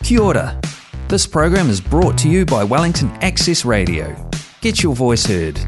Kia ora. This program is brought to you by Wellington Access Radio. Get your voice heard.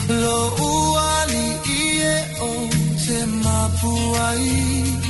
Lo uali ie o te mapuai.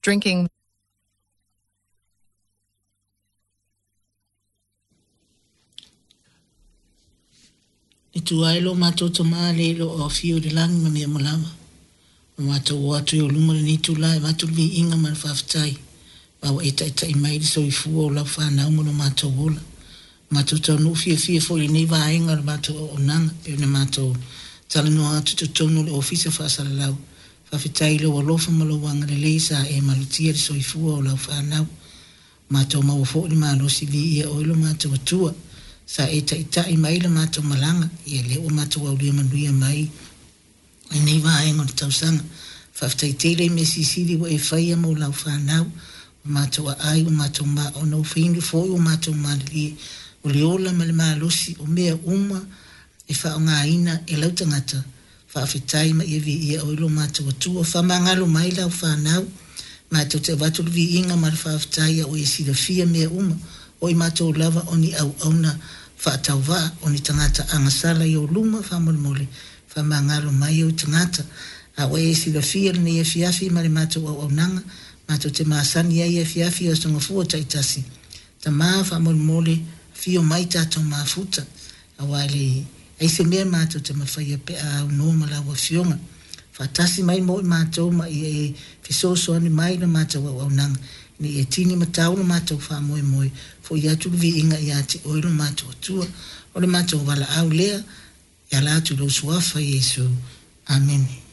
Drinking. E tu ai lo matou Tama le lo o afio i le lagi ma mea uma lava. Ua matou o atu i ou luma i lenei itula e avatu le viiga ma le faafetai, ma ua e taitai mai le soifua o lau fanau ma lo matou ola. Ua matou taunuu fiafia foi i lenei vaega o le matou auaunaga e pei ona matou talanoa atu i totonu o le Ofisa Faasalalau. Faafetai i lou alofa ma lou agalelei sa e malutia le soifua o lau fanau. Matou maua foi le malosi viia oe lo matou Atua. Sa e taitai mai le matou malaga, ia lea ua matou aulia manuia mai lenei vaega o le tausaga. Faafetai tele i mea silisili ua e faia mo lau fanau. Ua matou aai, ua matou maona, ua fainu foi ua matou malilie. O le ola ma le malosi o mea uma e faaaogaina e lau tagata. Faafetai ma ia viia oe lo matou Atua. Faamagalo mai lau fanau. Matou te avatu le viiga ma le faafetai a ua e silafia mea uma. O i matou lava o ni auauna faatauvaa, o ni tagata agasala i ou luma, faamolemole, faamagalo mai ou tagata. A ua e silafia lenei afiafi ma le matou auaunaga, matou te masani ai i afiafi o Aso Gafua taitasi. Tama, faamolemole, afio mai tatou mafuta, aua e leai se mea matou te mafaia pe a aunoa ma lau Afioga. Faatasi mai mo i matou ma ia e fesoasoani mai le matou auaunaga, ina ia tini ma tau le matou faamoemoe, fo'i atu le viiga ia te oe lo matou Atua. O le matou valaau lea, e ala atu i lou Suafa Iesu. Amene.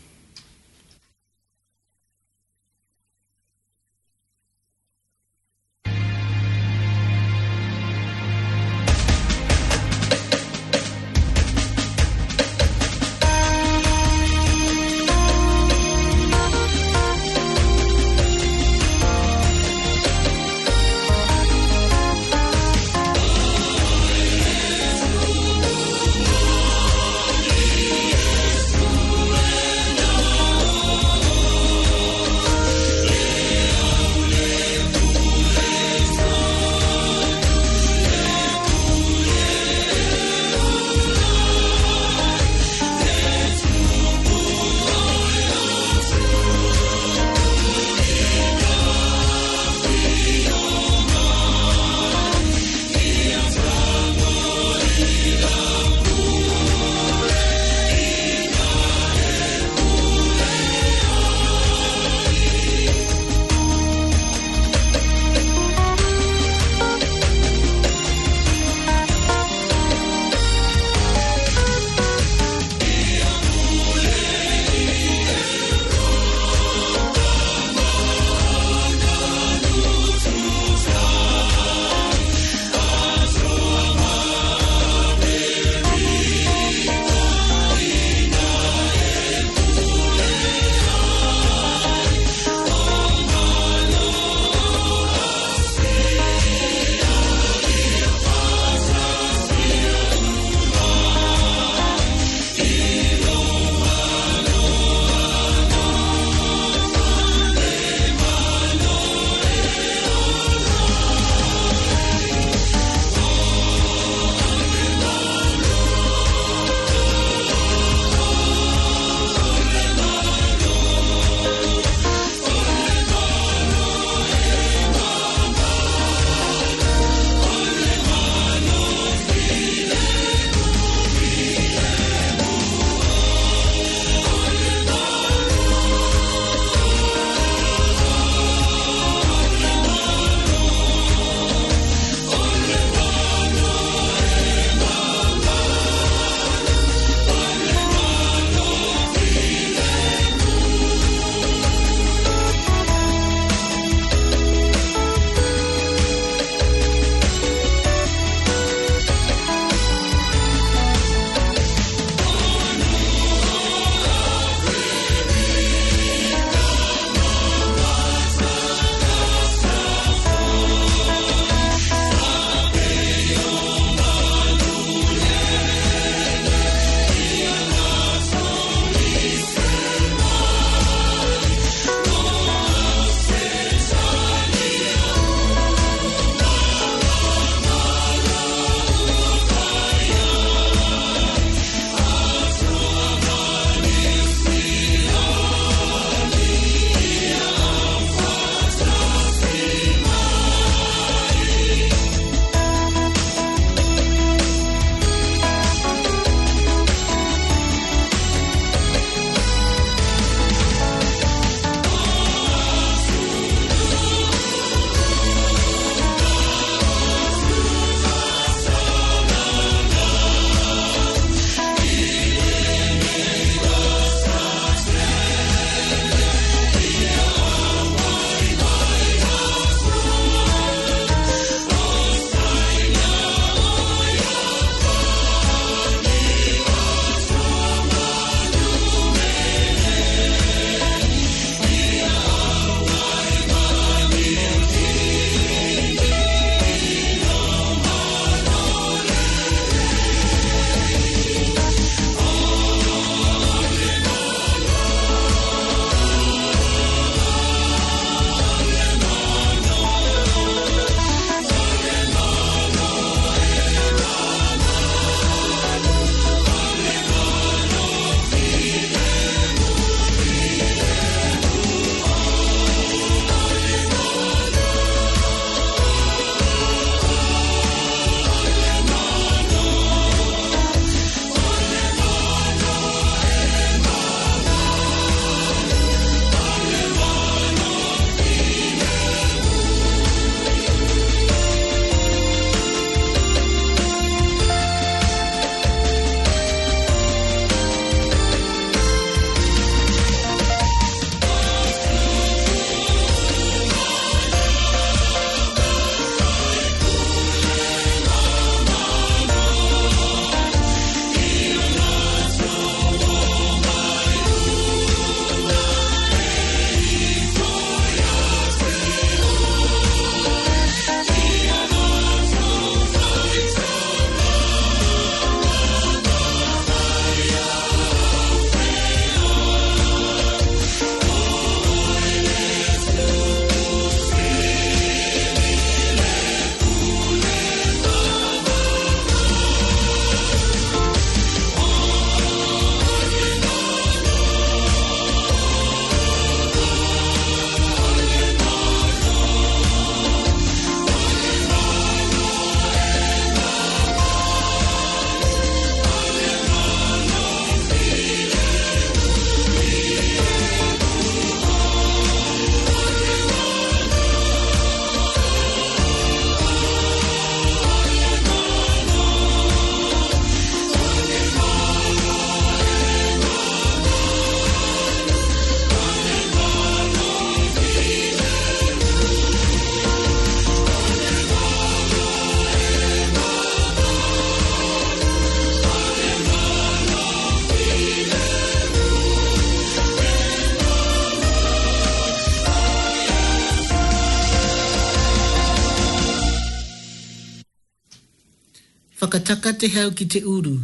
Whakataka te hau ki te uru,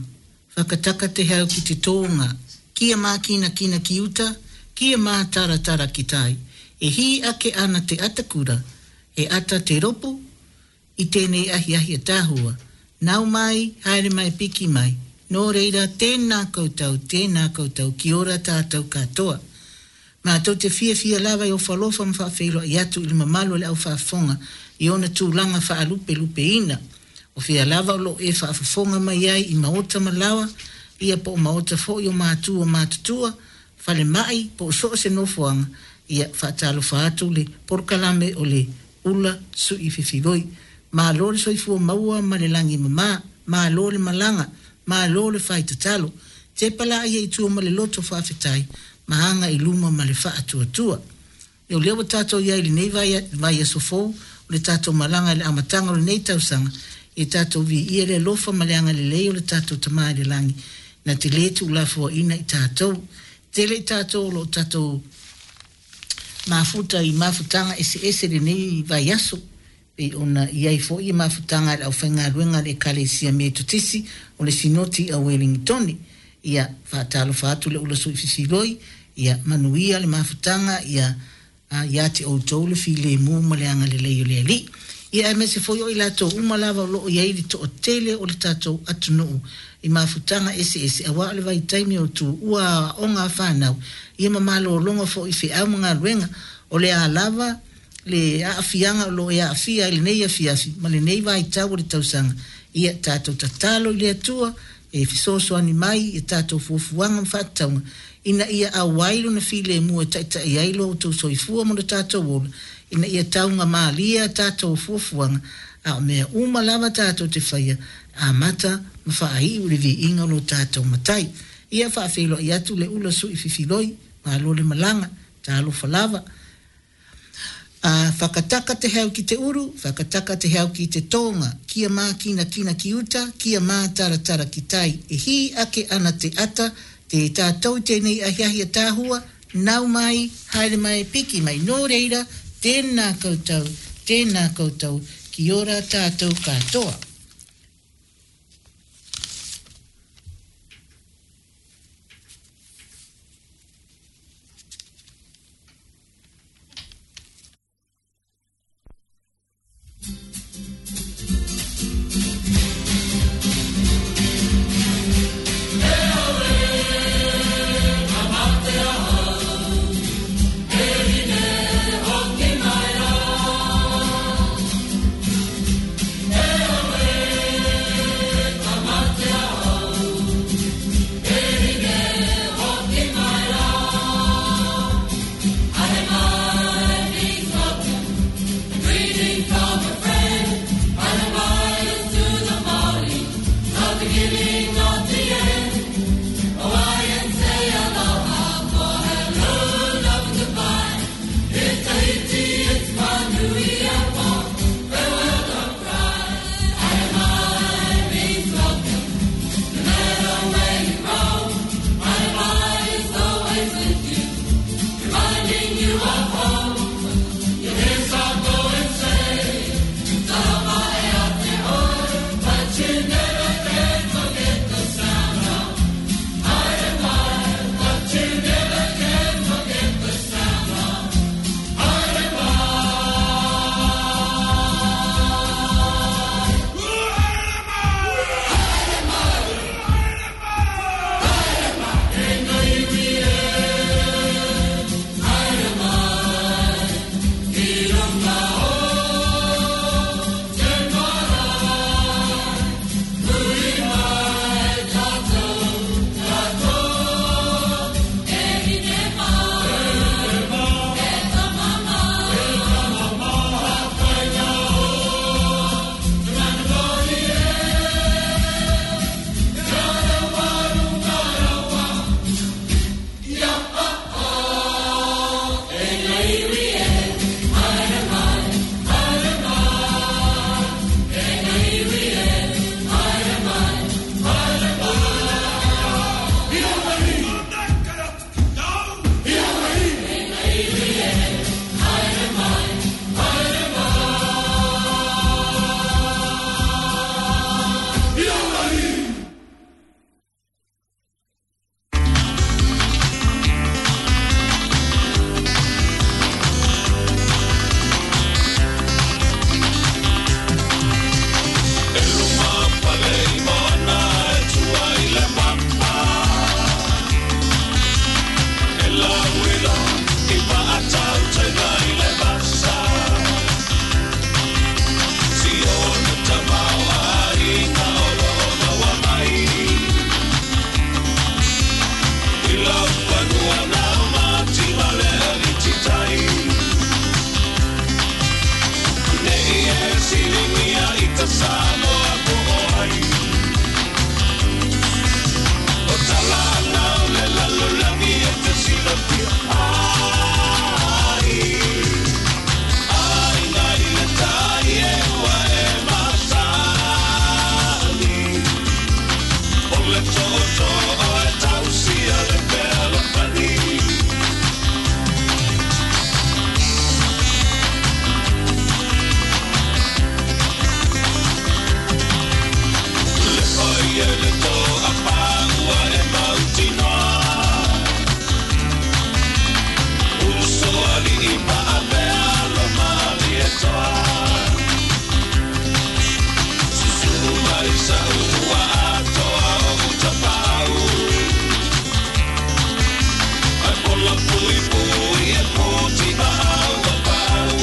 whakataka te hau ki te tōnga, kia mākinakina ki uta, kia mātaratara ki tai. E hī ake ana te atakura, he ata te ropo i tēnei ahiahi ataahua. Nau mai, haere mai, piki mai. Nō reira, tēnā koutou, tēnā koutou, ki ora tātou katoa. Mātou te fiafia lava e ofalofa ma faafeiloai atu i le mamalu o le au faafofoga i ona tulaga faalupelupeina. O fea lava o loo e faafofoga mai ai i maota ma laoa, ia po o maota foi o matua matutua, falemai po o so o se nofoaga, ia faatalofa atu le polokalame o le Ula Sui Fefiloi. Malo le soifua maua ma le lagi e mama, malo le malaga, malo le fai tatalo. Tepa laia i tua ma le loto faafetai, ma aga i luma ma le faatuatua. Ia o lea ua tatou i ai i lenei vaiaso fou o le tatou malaga i le amataga o lenei tausaga, ia tatou viia le alofa ma le agalelei o le tatou Tama i le Lagi, na te lē tuulafoaina i tatou. Tele i tatou o lo o tatou mafuta i mafutaga eseese i lenei vaiaso, pei ona i ai foi mafutaga a le aufaigaluega a le Ekalesia Metotisi o le Sinoti a Uelingitone. Ia faatalofa atu le ula sui fifiloi, ia manuia le mafutaga, ia ia te outou le filemu ma le agalelei o le Alii. Ia aemaise foi o i latou uma lava o lo o i ai le toatele o le tatou atunuu i mafutaga eseese aua o le vaitaimi o tuua aoaoga a fanau, ia ma malologa foi i feau ma galuega. O le a lava le aafiaga o lo o e aafia ai lenei afiafi ma lenei vaitau o le tausaga, ia tatou tatalo i le Atua e fesoasoani mai i a tatou fuafuaga ma faatatauga, ina ia auai Lona filemu e taitai ai lo outou soifua ma lo tatou ola, ina ia taugamalie a tatou fuafuaga, a o mea uma lava tatou te faia, amata ma faaiu i le viiga o lo tatou Matai. Ia faafeiloai atu le ula sui fifiloi, malo le malaga, talofa lava. A, whakataka te hau ki te uru, whakataka te hau ki te tōnga, kia mākinakina ki uta, kia mātaratara ki tai, e hī ake ana te ata, tē tātou tēnei ahiahi ataahua, nau mai, haere mai, piki mai, nō reira, tēnā koutou, tēnā koutou, ki ora tātou katoa. siligia i ta Samoa po o ai. O talana o le lalolagi e te silafia ai. Aiga i le tai e ua e masani. O le tootoo e tausia le fealofani. Le paia le toa paua e mautinoa. Uso alii maavea lo Malietoa. Susu mai sa ua atoa o utapau. Ai pola pui pui e puti maau a pau.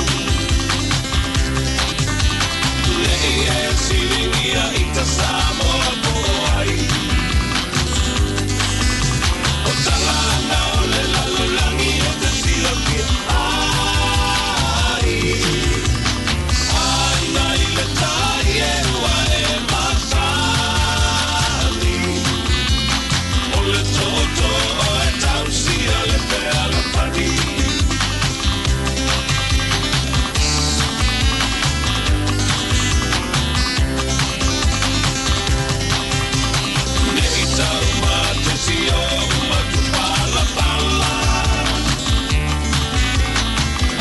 Nei e silingia i ta Samoa po o ai. O talana o le lalolagi e te silafia ai. Aiga i le tai e ua e masani. O le tootoo e tausia le fealofani. Nei tau matesi o matupalapala.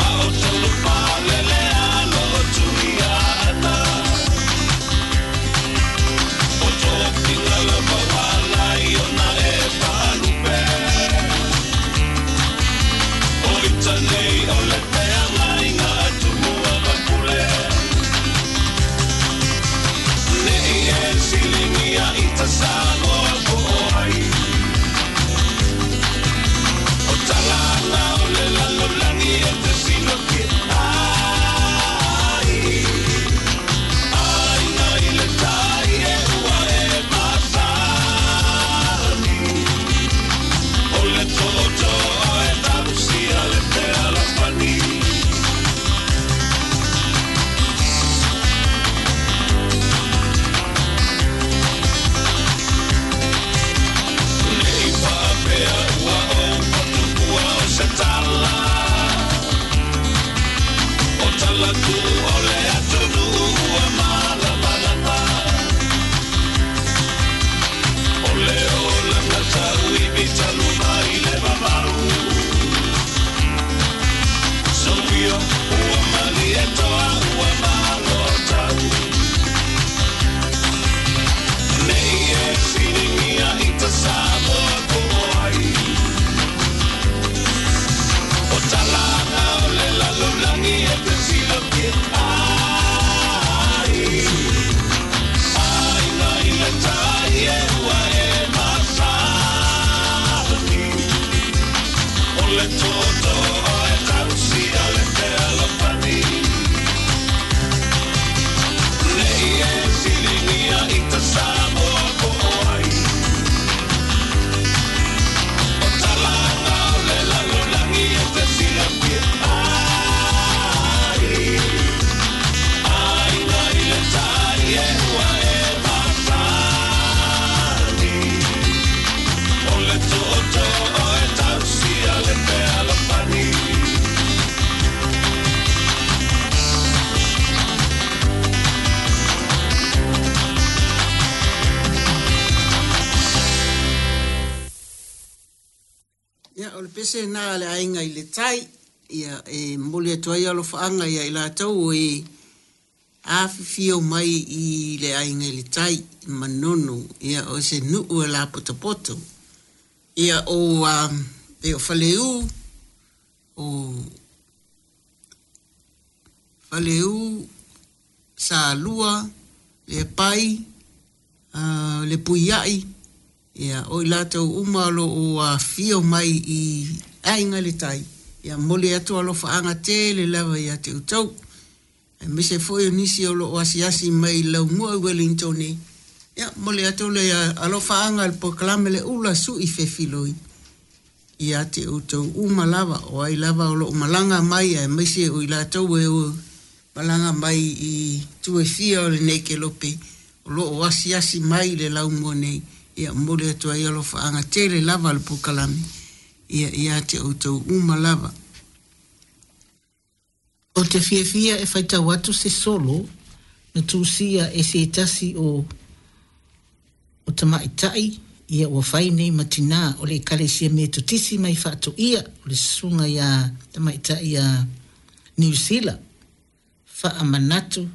A o tolu palele alo o Tuia'ana. O tofiga lava ualai ona e faalupe. O ita nei o le feagaiga a Tumua ma Pule. Nei e siligia i ta Samoa po o ai. O talana o le lalolagi e te silafia ai. Aiga i le tai e ua e masani. O le tootoo e tausia le fealofani. Nei faapea ua ou patupua o se tala. O tala tuu o le atunuu ua malamalama. O le olaga tauivi talu mai le vavau. Sophia, ua Malietoa, ua malo tau. Nei e siligia i ta Samoa po o ai. O talana o le lalolagi e te silafia ai. Aiga i le tai e ua e masani. O le tootoo e tausia le fealofani. Nei e siligia i ta Samoa po o ai. O talana o le lalolagi e te silafia ai. Aiga i le tai e ua e masani. O le tootoo e tausia le fealofani. Ia, o le pese na le aiga i le tai, ia e momoli atu ai alofaaga ia i latou e afifio mai i le aiga i le tai, Manono, ia o se nuu e lapotopoto. Ia o e o Faleu, o Faleu, Salua, le Pai, le Puiai, ia o i latou uma o lo o afifio mai i aiga i le tai, ia momoli atu alofaaga tele lava ia te outou. Aemaise foi o nisi o lo o asiasi mai i Laumua i Wellington, ia momoli atu le alofaaga i le polokalame le ula sui fefiloi ia te outou uma lava, o ai lava o lo o malaga mai, aemaise o i latou e o malaga mai i itu e fia o lenei kelope o lo o asiasi mai i le laumua nei, ia momoli atu ai alofaaga tele lava a le polokalame ia ia te outou uma lava. Ou te fiafia e faitau atu se solo na tusia e se tasi o o tamaitai ia ua fai nei ma tinā o le Ekalesia Metotisi mai Faatoia o le Susuga iā Tamaitai iā Niu Sila Faamanatu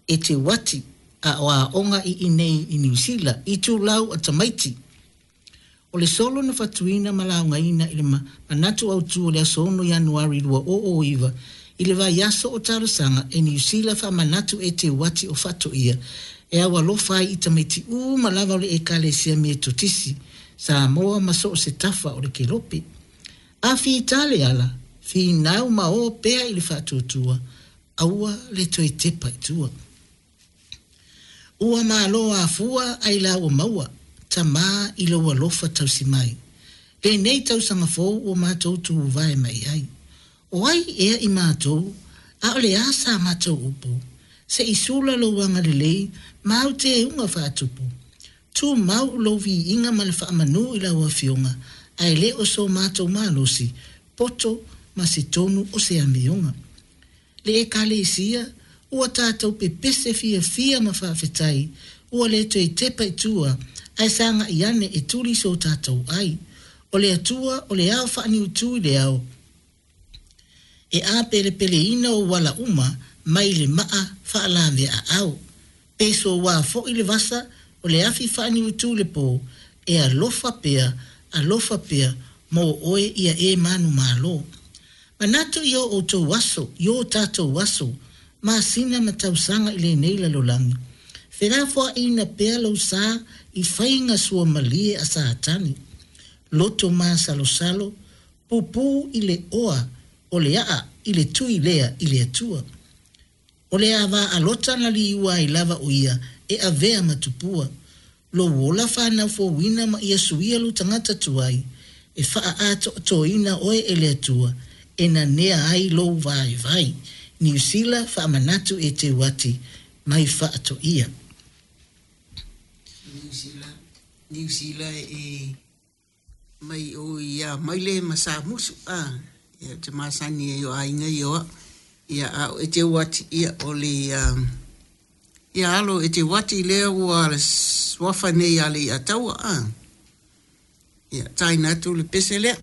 Eteuati a o aoga i inei i Niu Sila itulau a tamaiti. O le solo na fatuina ma laugaina i le manatu autu o le aso 6 Ianuari 2009 i le vaiaso o talosaga e Niu Sila Faamanatu Eteuati o Faatoia e au alofa ai i tamaiti uma lava o le Ekalesia Metotisi Samoa ma so o se tafa o le kelope. A fita le ala, finau ma o pea i le faatuatua, aua le toe tepa i tua. Ua malo afua ai la ua maua, Tamā i lou alofa tausi mai. Lenei tausaga fou ua matou tuvae mai ai. O ai ea i matou, a o le a sa matou upu? Se i sula lou agalelei ma au teuga faatupu. Tumau lou viiga ma le faamanu i lau Afioga, ae le o so matou malosi, poto ma se tonu o se amioga. Le Ekalesia, ua tatou pepese fiafia ma faafetai, ua le toe tepa i tua, ae sagai ane e tuli so tatou ai. O le Atua o le ao faaniutu i le ao, e apelepeleina ou ala uma mai le maa faalaveaau. Pe soua foi le vasa o le afi faaniutu i le po, e alofa pea, alofa pea mo oe ia e manumalo. Manatu i o outou aso, i o tatou aso, masina ma tausaga i lenei lalolagi. Felafoaiina pea lou sa i faiga suamalie a Satani. Loto masalosalo, pupū i le oa o le aa i le tui lea i le Atua. O le ava a Lota na liua ai lava o ia e avea ma tupua. Lou ola fanau fouina ma ia suia lou tagata tuai, e faaatoatoina oe e le Atua e nanea ai lou vaivai. Niu Sila Faamanatu Eteuati mai Faatoia. Niu Sila, Niu Sila e mai o ia Maile ma Samusu a ia ou te masani ai o aiga ia o au ia a o Eteuati ia o le ia alo Eteuati lea ua suafa nei ia Leiataua a ia taina atu le pese lea.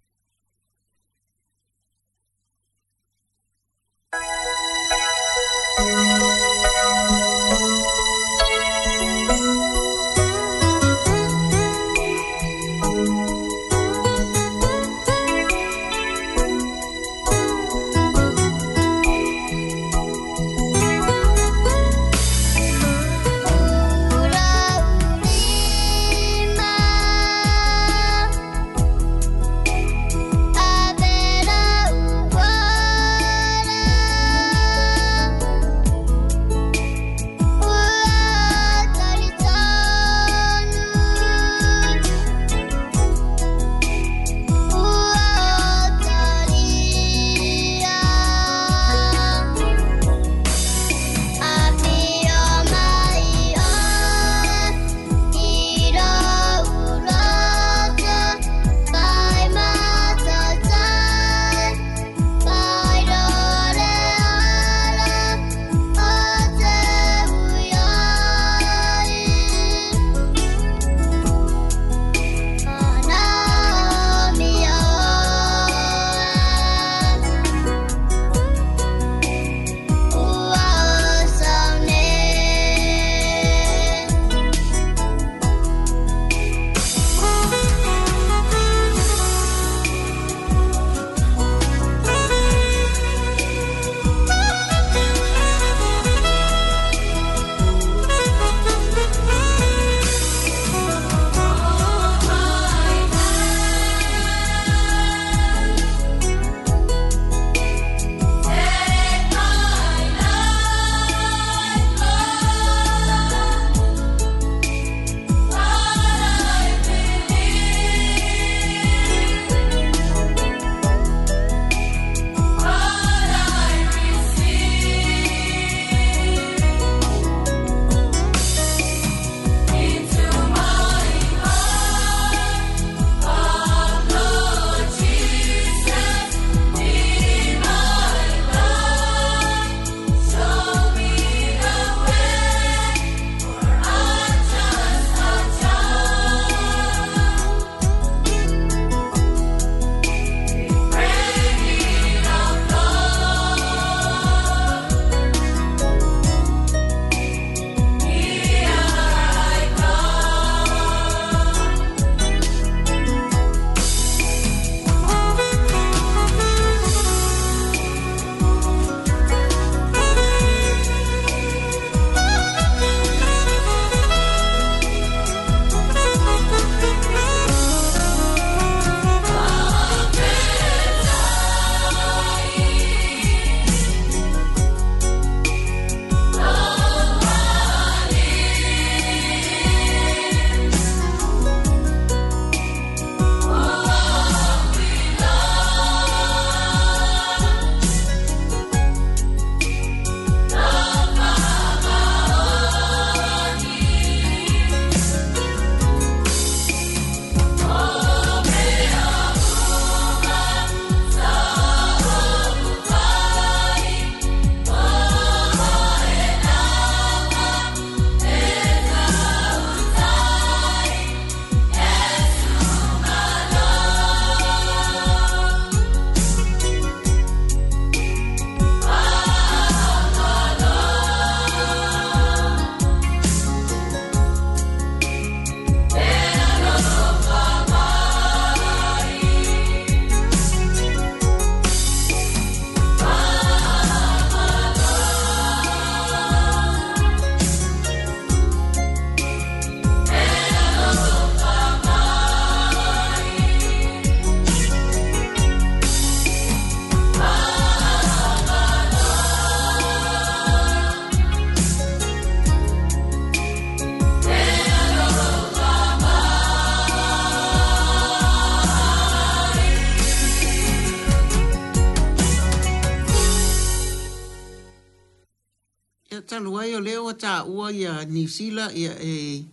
Ia talu ai o lea ua taua ia Niu Sila ia e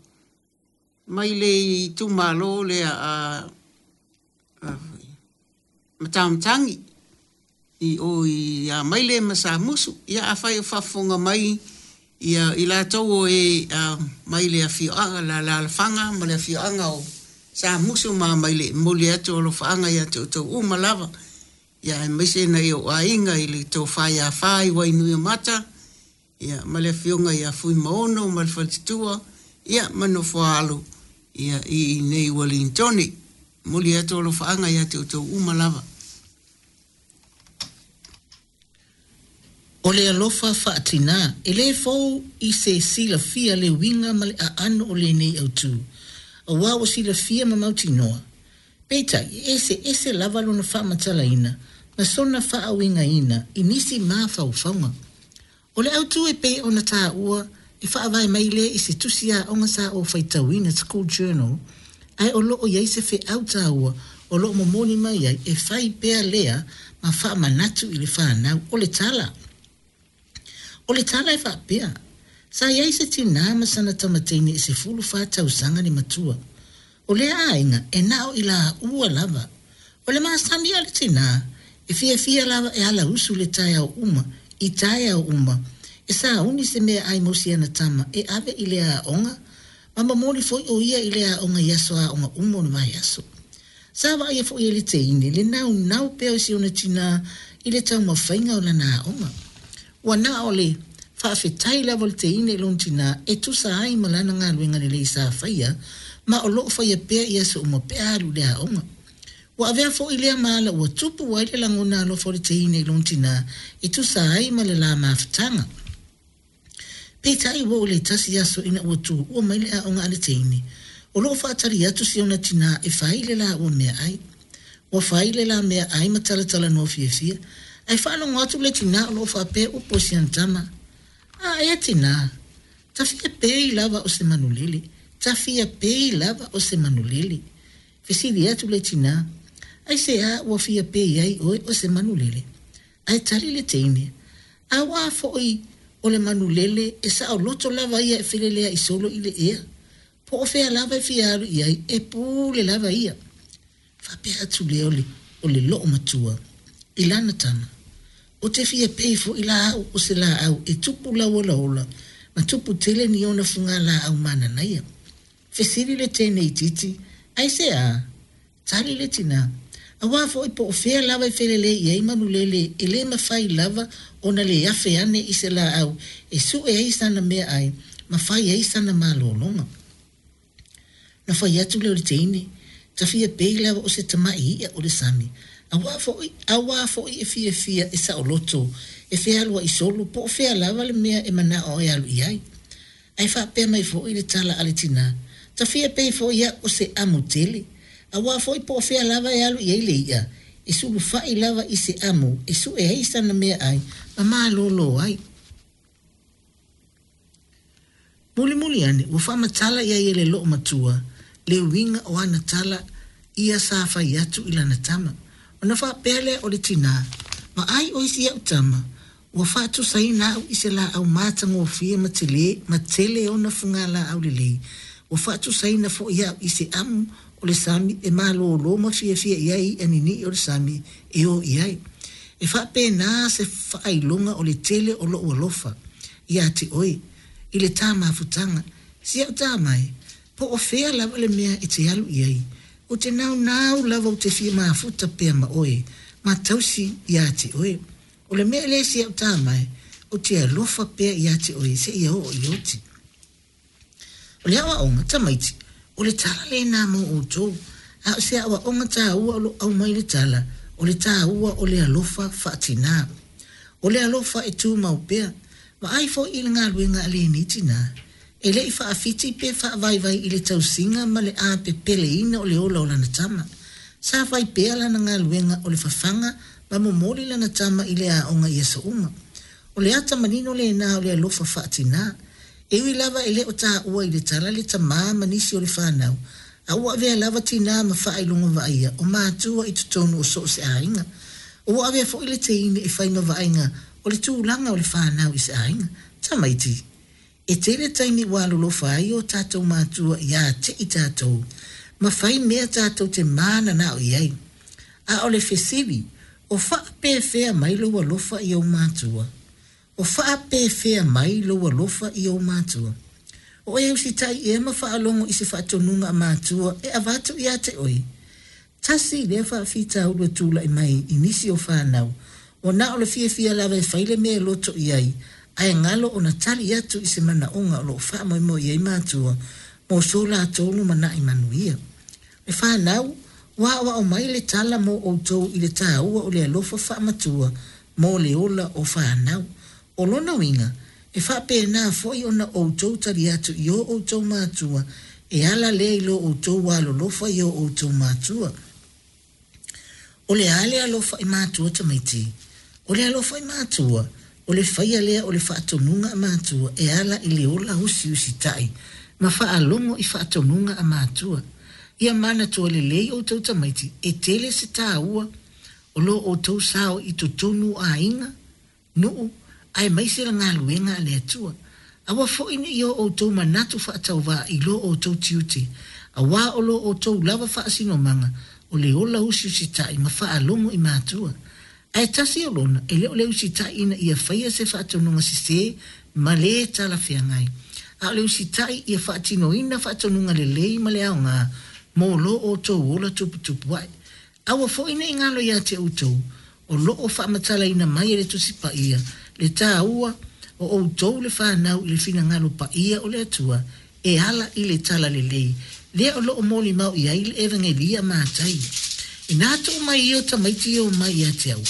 mai le itumalo lea a Matamatagi i o i Amaile ma Samusu. Ia afai o faafofoga mai ia i latou o e mai le afioaga le alaalafaga ma le afioaga o Samusu ma Amaile, e momoli atu alofaaga ia te outou uma lava. Ia aemaise nai ou aiga i le Tofa ia Fa i Wainuiomata, ia ma le afioga ia Fuimaono ma le Faletutua, ia ma Nofoaalo ia i inei Uelintone. Momoli atu alofaaga ia te outou uma lava. O le alofa faatinā, e le fou i se silafia le uiga ma le aano o lenei autu, auā ua silafia ma mautinoa. Peitai, e eseese lava lona faamatalaina ma sona faauigaina i nisi mafaufauga. O le autu e pei ona taua e faavae mai lea i se tusi aoga sa ou faitauina, school journal, ae o lo o i ai se feau taua o lo o momoli mai ai e fai pea lea ma faamanatu i le fanau. O le tala. O le tala e faapea, Sa i ai se tinā ma sana tamateine e 14 tausaga le matua. O lea aiga e na o i laua lava. O le masani a le tinā, e fiafia lava e alausu i le taeao uma, i taeao uma, e sauni se meaai mo si ana tama e ave i le aoga, ma momoli foi o ia i le aoga i aso aoga uma o le vaiaso. Sa vaaia foi e le teine le naunau pea o si ona tinā i le taumafaiga o lana aoga. Ua na o le faafetai lava o le teine i lona tinā e tusa ai ma lana galuega lelei sa faia ma o lo o faia pea i aso uma pe a alu i le aoga. Ua avea foi lea ma ala ua tupu ai le lagona alofa o le teine i lona tinā e tusa ai ma le la mafutaga. Peitai ua oo i le tasi aso ina ua tuua mai le aoga a le teine, o lo o faatali atu si ona tinā e fai le laua meaai. Ua fai le la meaai ma talatalanoa fiafia, ae faalogo atu le tinā o lo o faapea upu i si ana tama, A ea tinā, ta fia pei lava o se manulele, ta fia pei lava o se manulele. Fesili atu le tinā, Aisea ua fia pei ai oe o se manulele? Ae tali le teine, Auā foi o le manulele e saoloto lava ia e feleleaʻi solo i le ea, po o fea lava e fia alu i ai, e pule lava ia. Faapea atu lea o le, o le loomatua i lana tama, Ou te fia pei foi la au o se laau e tupu lauolaola ma tupu tele ni ona fugalaau mananaia. Fesili le teine itiiti, Aisea? Tali le tinā, Auā foi po o fea lava e felelei i ai manulele e le mafai lava ona le afe ane i se laau e sue ai sana meaai ma fai ai sana malologa. Na fai atu lea o le teine, Ta fia pei lava o se tamaʻi iʻa o le sami, auā foi, auā foi e fiafia e saoloto, e fealuaʻi solo po o fea lava le mea e manao e alu i ai. Ae faapea mai foi le tala a le tinā, Ta fia pei foi au o se amu tele, auā foi po o fea lava e alu i ai le iʻa, e sulufaʻi lava i se amu e sue ai sana meaai ma malōlō ai. Mulimuli ane, ua faamatala i ai e le loomatua le uiga o ana tala ia sa fai atu i lana tama. Ona faapea lea o le tinā, Vaai oe si au tama, Ua faatusaina au i se laau matagofie ma tele, ma tele ona fugalaau lelei. Ua faatusaina foi au i se amu o le sami e malōlō ma fiafia i ai iʻa niniʻi o le sami e o i ai. E faapena se faailoga o le tele o loʻu alofa iā te oe, i le tā mafutaga. Si au tama e, po o fea lava le mea e te alu i ai, ou te naunau lava ou te fia mafuta pea ma oe, ma tausi iā te oe. O le mea lea si au tama e, ou te alofa pea iā te oe seia oo i oti. O le aoaoga, tamaiti, o le tala lena mo outou, a o se aoaoga taua o lo o aumai le tala, o le taua o le alofa faatinā. O le alofa e tumau pea. Vaai foi i le galuega a lenei tinā, e le i faafiti pe faavaivai i le tausiga ma le apepeleina o le ola o lana tama. Sa fai pea lana galuega o le fafaga ma momoli lana tama i le aoga i aso uma. O le ata manino lena o le alofa faatinā. E ui lava e le o taua i le tala le tamā ma nisi o le fanau, a ua avea lava tinā ma faailoga vaaia o matua i totonu o so o se aiga. Ua avea foi le teine e fai ma vaaiga o le tulaga o le fanau i se aiga. Tamaiti, e tele taimi ua alolofa ai o tātou mātua iā te i tātou, ma fai mea tātou te mananao i ai. A o le fesili, o faapefea mai lou alofa i ou mātua? O faapefea mai lou alofa i ou mātua? O e usitai ea ma faalogo i se faatonuga a matua e avatu iā te oe? Tasi lea faafitauli ua tulai mai i nisi o fanau, ua na o le fiafia lava e fai le mea e loto i ai, ae galo ona tali atu i se manaoga o loo faamoemoe i ai matua mo so latou lumanai manuia. Le fanau, ua aoao mai le tala mo outou i le tāua o le alofa faamatua mo le ola o fanau. O lona uiga, e faapena foi ona outou tali atu i o outou matua e ala lea i lo outou alolofa i o outou matua. O le a le alofa i matua tamaiti? O le alofa i matua, o le faia lea o le faatonuga a matua e ala i le ola usiusitai ma faalogo i faatonuga a matua. Ia manatua lelei outou tamaiti e tele se tāua o lo outou sao i totonu o aiga, nuu, aemaise le galuega a le Atua. Aua foi ne'i o outou manatu faatauvaa i lo outou tiute, auā o lo outou lava faasinomaga o le ola usiusitai ma faalogo i matua. Ae tasi o lona, e le o le usitai ina ia faia se faatonuga sesē ma lē talafeagai, a o le usitai ia faatinoina faatonuga lelei ma le aogā mo lo outou ola tuputupu ae. Aua foi ne'i galo iā te outou, o loo faamatalaina mai e le Tusi Paia le tāua o outou le fanau i le finagalo paia o le Atua e ala i le talalelei lea o loo molimau i ai le Evagelia a Matai. Inā tuu mai ia o tamaiti e omai iā te au,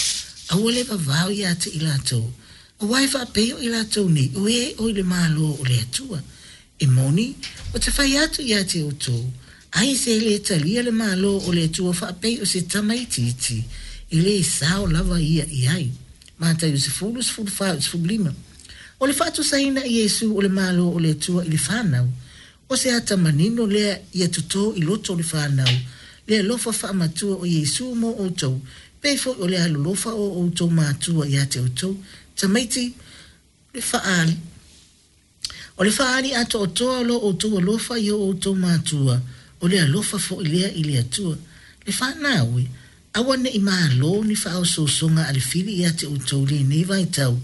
aua le vavao iā te i latou, auā e faapei o i latou nei o e o i le Malo o le Atua. E moni, ou te fai atu iā te outou, ai se lē talia le Malo o le Atua faapei o se tamaitiiti, e lē sao lava ia i ai. Mataio 10, 14, 15. O le faatusaina e Iesu o le Malo o le Atua i le fanau, o se ata manino lea ia totō i loto o le fanau, le alofa faamatua o Iesu mo outou, pei foi o le alolofa o outou matua iā te outou, tamaiti, le faa O le faaali atoatoa o lo outou alofa i o outou matua, o le alofa foi lea i le Atua. Le fanau e, aua ne'i malo ni faaosoosoga a le fili iā te outou i lenei vaitau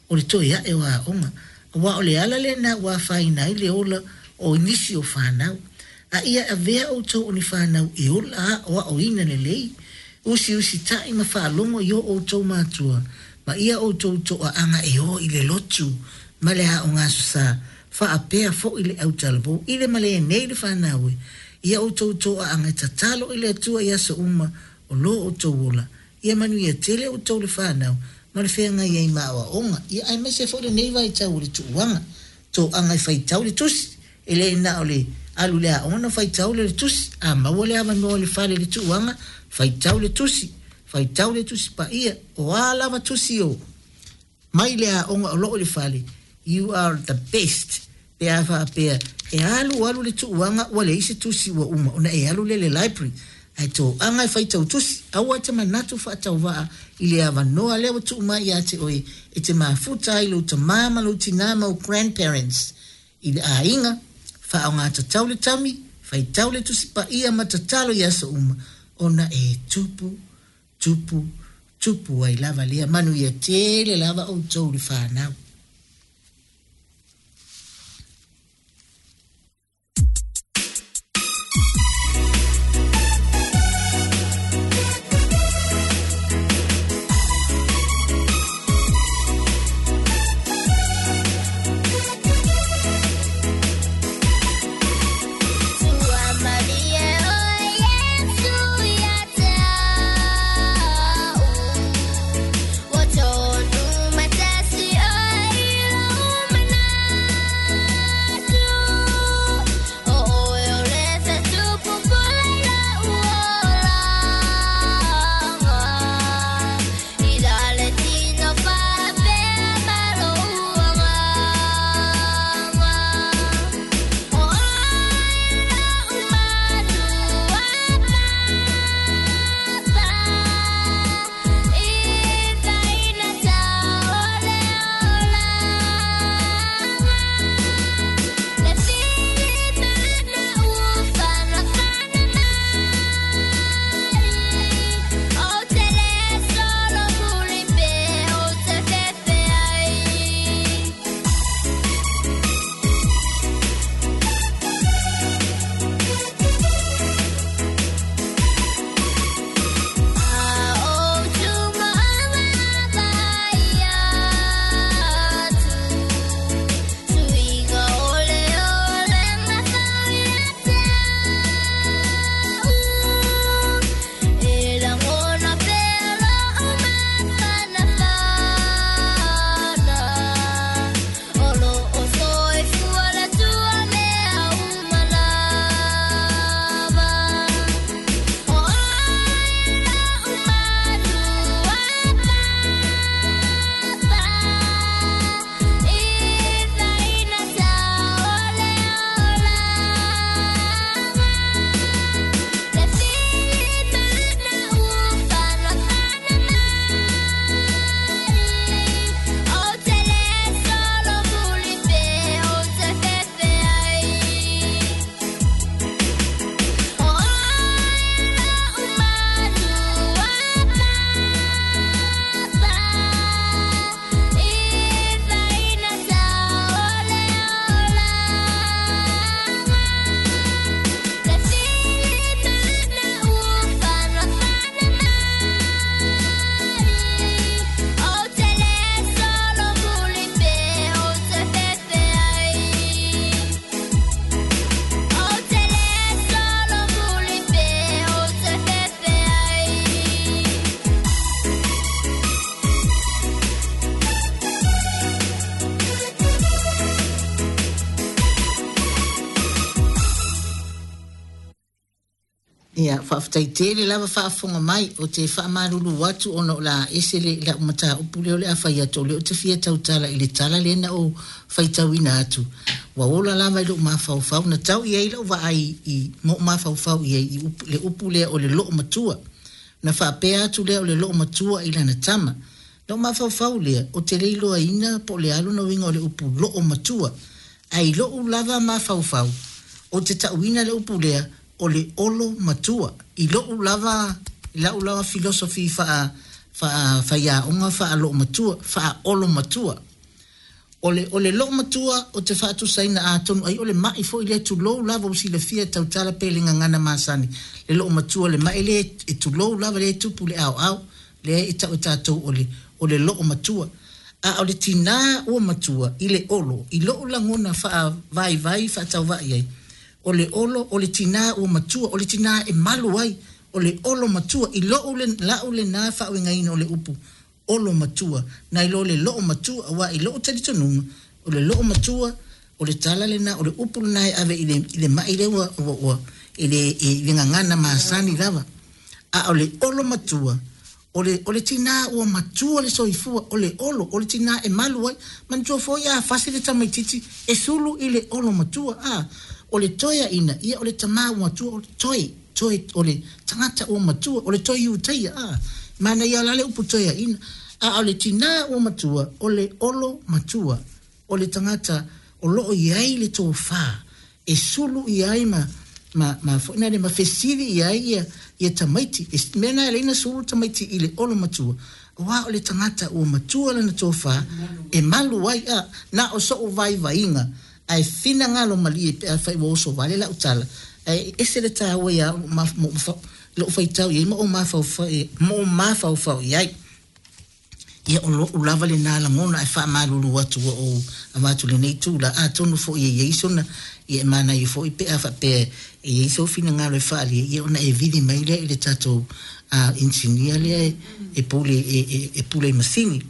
o le toe ae o aoga, auā o le ala lenā ua afaina ai le ola o nisi o fanau. A ia avea outou o ni fanau e ola aoaoina lelei, usiusitaʻi ma faalogo i o outou matua, ma ia outou toaaga e o i le lotu ma le aoga Aso Sa, faapea foi le autalavou i le malē nei le fanau e, ia outou toaaga e tatalo i le Atua i aso uma o lo outou ola, ia manuia tele outou le fanau ma le feagai ai ma aoaoga, ia aemaise foi lenei vaitau o le tuuaga, toaga e faitau le tusi, e le na o le alu le aoga ona faitau lea o le tusi, a maua le avanoa i le fale i le tuuaga, faitau le tusi, faitau le Tusi Paia, o a lava tusi o mai le aoga o loo i le fale, you are the best pe a faapea e alu alu le tuuaga ua leai se tusi ua uma ona e alu lea i le library, ae toaga e faitau tusi, aua e te manatu faatauvaa i le avanoa lea ua tuu mai iā te oe e te mafuta ai lou tamā ma lou tinā ma ou grandparents i le aiga, faaaogā tatau le taimi, faitau le Tusi Paia ma tatalo i aso uma, ona e tupu, tupu, tupu ai lava lea manuia tele lava outou le fanau. Ia, faafetai tele lava faafofoga mai. Ou te faamalulu atu ona o le a ese le lau mataupu lea o le a fai atu, o lea ou te fia tautala i le tala lea na ou faitauina atu. Ua ola lava i lou mafaufau, na tau i ai lau vaai i, ma ou mafaufau i ai i upu, le upu lea o le loomatua. Na faapea atu lea o le loomatua i lana tama. Na ou mafaufau lea, ou te le iloaina po o le a lona uiga o le upu loomatua. Ae i lou lava mafaufau, ou te tauina le upu lea o le olo matua. I lou lava, i lau lava philosophy faa, faa faiaoga faa loomatua, faa olo matua. O le, o le loomatua ou te faatusaina atonu ai o le mai foi lea tulou lava ua silafia e tautala pe le gagana masani, le loomatua le mai lea e tulou lava lea e tupu i le aoao, lea e tau e tatou o le, o le loomatua. A o le tinā ua matua i le olo, i lou lagona faavaivai faatauvaa i ai, o le olo, o le tinā ua matua, o le tinā e malu ai, o le olo matua, i lou le, lau lenā faauigaina o le upu olo matua, nai lo le loomatua, aua i lou talitonuga, o le loomatua, o le tala lenā, o le upu lenā e ave i le, i le mai lea ua, ua, ua i le, i le gagana masani lava. A o le olo matua, o le, o le tinā ua matua le soifua, o le olo, o le tinā e malu ai. Manatua foi a fasi le tamaitiiti, e sulu i le olo matua, a. O le toeaina, ia o le tamā ua matua, o le toe, toe, o le tagata ua matua, o le toe Iutaia, a. Manaia la le upu toeaina. A o le tinā ua matua, o le olo matua, o le tagata o lo o i ai le tofā e sulu i ai ma, ma, ma foi nale ma fesili i ai ia, ia tamaiti. E mea na e ala ai ona sulu tamaiti i le olo matua, aua o le tagata ua matua lana tofā e malu ai, a. Na o so'u vaivaiga ae finagalo malie pe afai ua oso vale lau tala, ae ese le taua ia au lou faitau i ai ma ou mafaufau, ma ou mafaufau i ai. Ia o lo'u lava lenā lagona ae faamalulu atu ua ou avatu i lenei itula, atonu foi e i ai sona, ia e manaia foi pe a faapea e i ai sou finagalo e faaalia, ia ona e vili mai lea i le tatou inisinia lea e pule, e pule i masini.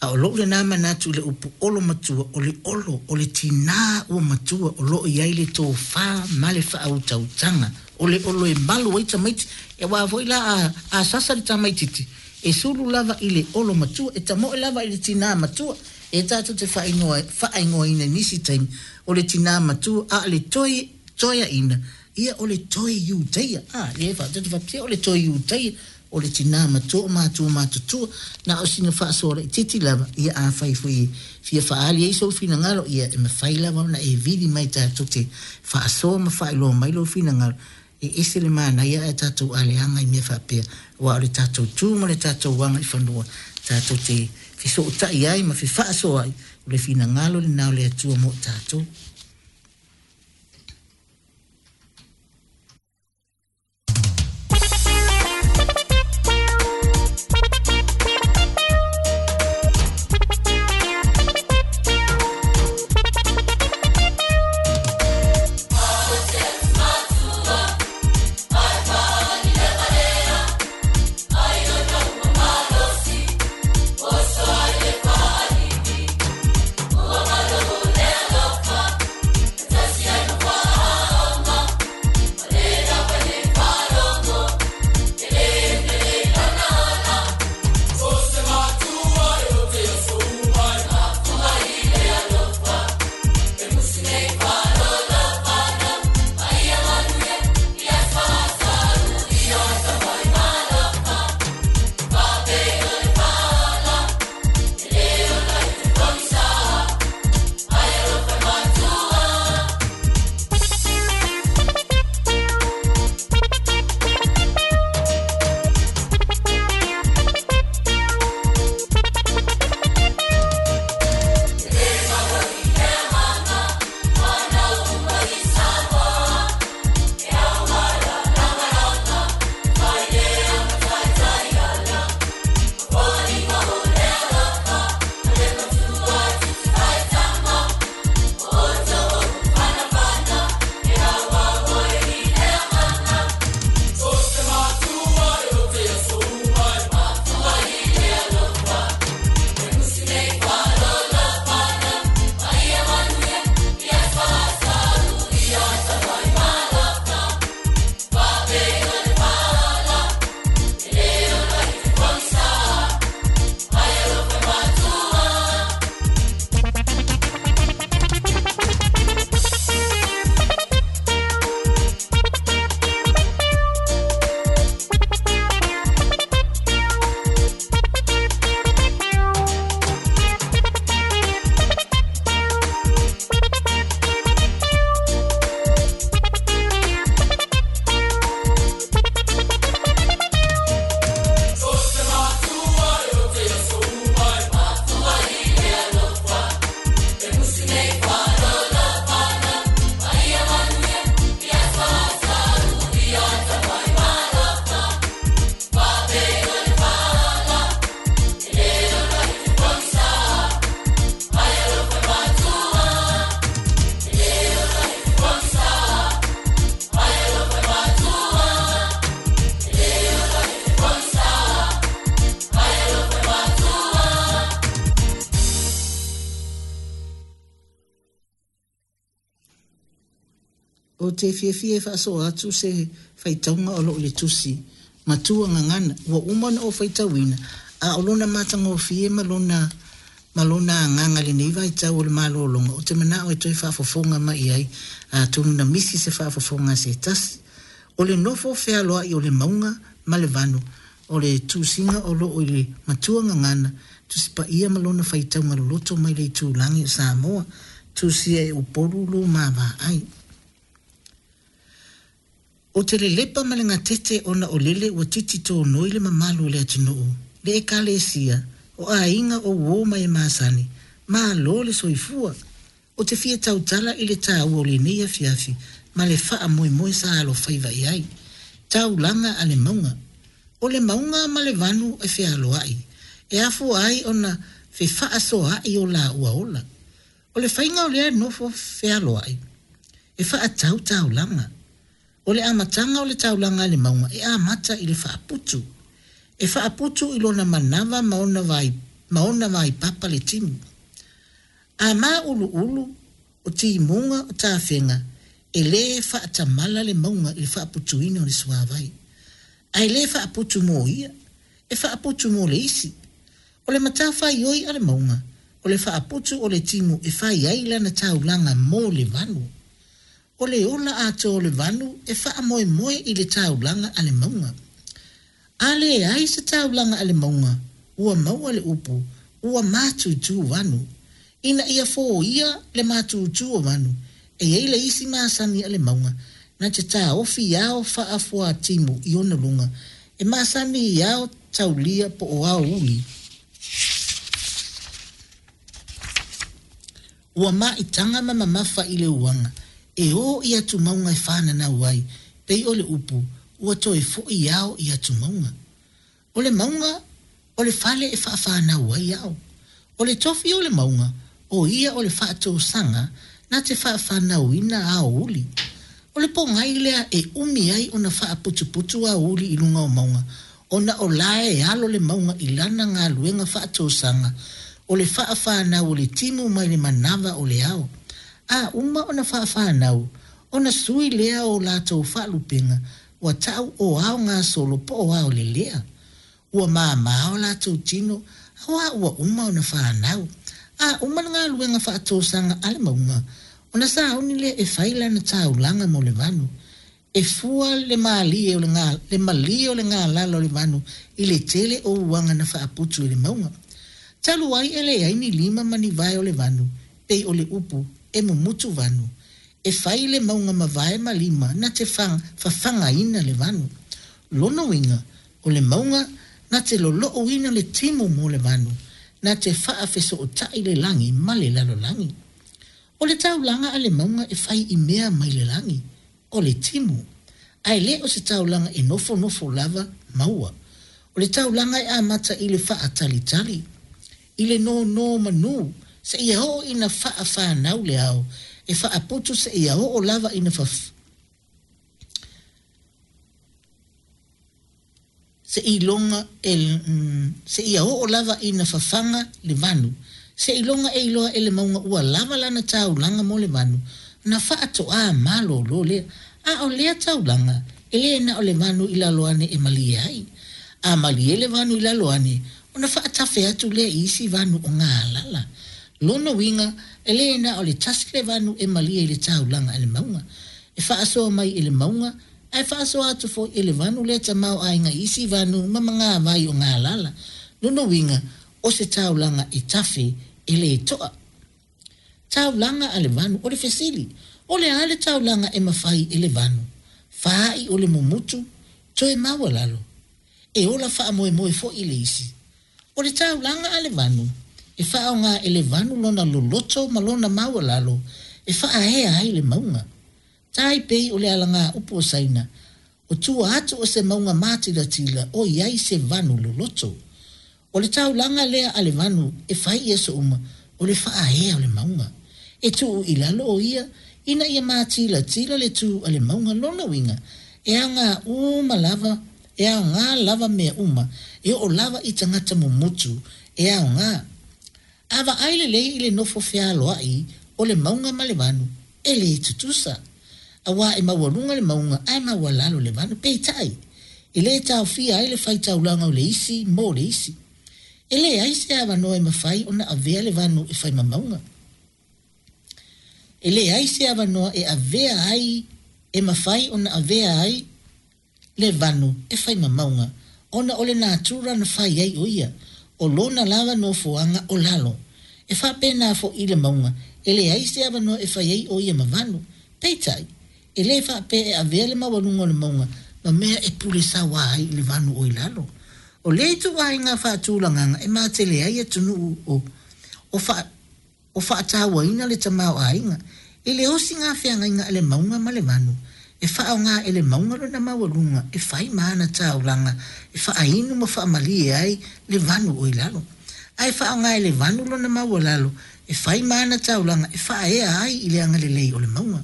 A o lou lenā manatu i le upu olo matua, o le olo, o le tinā ua matua o lo o i ai le tofā ma le faautautaga. O le olo e malu ai tamaiti, aua foi la a, a sasa le tamaititi, e sulu lava i le olo matua, e tamoe lava i le tinā matua. E tatou te faaigoa, faaigoaina i nisi taimi, o le tinā matua, a o le toe, toeaina, ia o le toe Iutaia. A, lea e faapea, tatou te faapea, o le toe Iutaia, O le tinā matua o matua matutua, na o sina faasoa laitiiti lava, ia afai foi e fia faaali ai sou finagalo, ia e mafai lava ona e vili mai tatou te faasoa ma faailoa mai lou finagalo, e ese le manaia ae tatou aleaga i mea faapea, aua o le tatou tu ma le tatou aga i fanua tatou te fesootai ai ma fefaasoa ai, o le finagalo lenā o le Atua mo i tatou. Ou te fiafia e faasoa atu se faitauga o lo o i le tusi Matua Gagana ua uma ona ou faitauina, a o lona matagofie ma lona ma lona agaga i lenei vaitau o le malologa, ou te manao e toe faafofoga mai i ai, atonu na misi se faafofoga a se tasi. O le nofo fealoai o le mauga ma le vanu, o le tusiga o lo o i le Matua Gagana, Tusi Paia ma lona faitauga loloto mai le itulagi o Samoa, tusia e Upolu lo ma vaai. Ou te lelepa ma le gatete ona o lele ua titi tonoi le mamalu o le atunuu, le Ekalesia, o aiga o uō ma e masani, malo le soifua! Ou te fia tautala i le taua o lenei afiafi ma le faamoemoe sa alofaiva i ai. Taulaga a le mauga. O le mauga ma le vanu e fealoai, e afua ai ona fefaasoaai o laua ola. O le faiga o lea nofo fealoai, e faatau taulaga. O le amataga o le taulaga a le mauga e amata i le faaputu. E faaputu i lona manava ma ona vai, ma ona vaipapa le timu. A māuluulu, o timuga, o tafega, e lē faatamala le mauga i le faaputuina o le suavai. Ae lē faaputu mo ia, e faaputu mo le isi. O le matafaioi a le mauga, o le faaputu o le timu e fai ai lana taulaga mo le vanu. O le ola atoa o le vanu e faamoemoe i le taulaga a le mauga. A leai se taulaga a le mauga, ua maua le upu, ua matutu vanu. Ina ia foia le matutu o vanu, e i ai le isi masani a le mauga, na te taofi ao faafuatimu i ona luga, e masani i ao taulia po o ao uli. Ua maitaga ma mamafa i le uaga, e ō i atumauga e fananau ai, pei o le upu, ua toe foʻi ao i atumauga. O le mauga, o le fale e faafanau ai ao. O le tofi o le mauga, o ia o le faatosaga na te faafanauina aouli. O le pogai lea e umi ai ona faaputuputu aouli i luga o mauga, ona o la e alo le mauga i lana galuega faatosaga, o le faafanau o le timu mai le manava o le ao. A uma ona faafanau, ona sui lea o latou faalupega, ua ta'u o ao gasolo po o ao lelea. Ua māmā o latou tino, auā ua uma ona fanau. A uma le galuega faatosaga a le mauga, ona sauni lea e fai lana taulaga mo le vanu. E fua le malie o le le malie o le galala o le vanu i le tele o uaga na faaputu e le mauga. Talu ai e leai ni lima ma ni vae o le vanu, pei o le upu, e mumutu vanu. E fai le mauga ma vae ma lima na te fafagaina le vanu. Lona uiga, o le mauga na te lolouina le timu mo le vanu, na te faafesootai le lagi ma le lalolagi. O le taulaga a le mauga e fai i mea mai le lagi, o le timu. Ae le o se taulaga e nofonofo lava maua. O le taulaga e amata i le faatalitali, i le nonomanu, seia oo ina faafanau le ao, e faaputu seia oo lava ina seiloga e seia oo lava ina fafaga le vanu, seiloga e iloa e le mauga ua lava lana taulaga mo le vanu, ona faatoā malōlō lea. A o lea taulaga, e lē na o le vanu i lalo ane e malie ai. A malie le vanu i lalo ane, ona faatafe atu lea i isi vanu o galala. Lona uiga, e lē na o le tasi le vanu e malie i le taulaga a le mauga. E faasoa mai e le mauga, ae faasoa atu foi e le vanu lea tamaoaiga i isi vanu ma magavai o galala. Lona uiga, o se taulaga e tafe, e lē toa. Taulaga a le vanu, o le fesili, o le a le taulaga e mafai e le vanu? Faa'i o le mumutu, toe maualalo. E ola faamoemoe foi le isi. O le taulaga a le vanu, e faaaogā e le vanu lona loloto ma lona maualalo e faaea ai le mauga. Tai pei o le alagaupu o Saina, O tua atu o se mauga matilatila o i ai se vanu loloto. O le taulaga lea a le vanu e fai i aso uma, o le faaea o le mauga. E tuu i lalo o ia, ina ia matilatila le tū a le mauga lona uiga, e aogā uma lava, e aogā lava mea uma, e oo lava i tagata mumutu, e aogā. A vaai lelei i le nofo fealoai o le mauga ma le vanu, e lē tutusa. Auā e maualuga le mauga ae maualalo le vanu. Peitai, e lē taofia ai le faitaulaga o le isi mo le isi. E leai se avanoa e mafai ona avea le vanu e fai ma mauga. E leai se avanoa e avea ai e mafai ona avea ai le vanu e fai ma mauga, ona o le natura na fai ai o ia, o lona lava nofoaga o lalo. E faapena foi i le mauga, e leai se avanoa e fai ai o ia ma vanu. Peitai, e lē faapea e avea le maualuga o le mauga ma mea e pule saoa ai i le vanu o i lalo. O lea ituaiga faatulagaga e matele ai atunuu o o faa o faatauaina le tamaoaiga i le osiga feagaiga a le mauga ma le vanu, e faaaoga e le mauga lona maualuga e fai ma ana taulaga e faainu ma faamalie ai le vanu o i lalo, ae faaaoga e le vanu lona maualalo e fai ma ana taulaga e faaea ai i le agalelei o le mauga.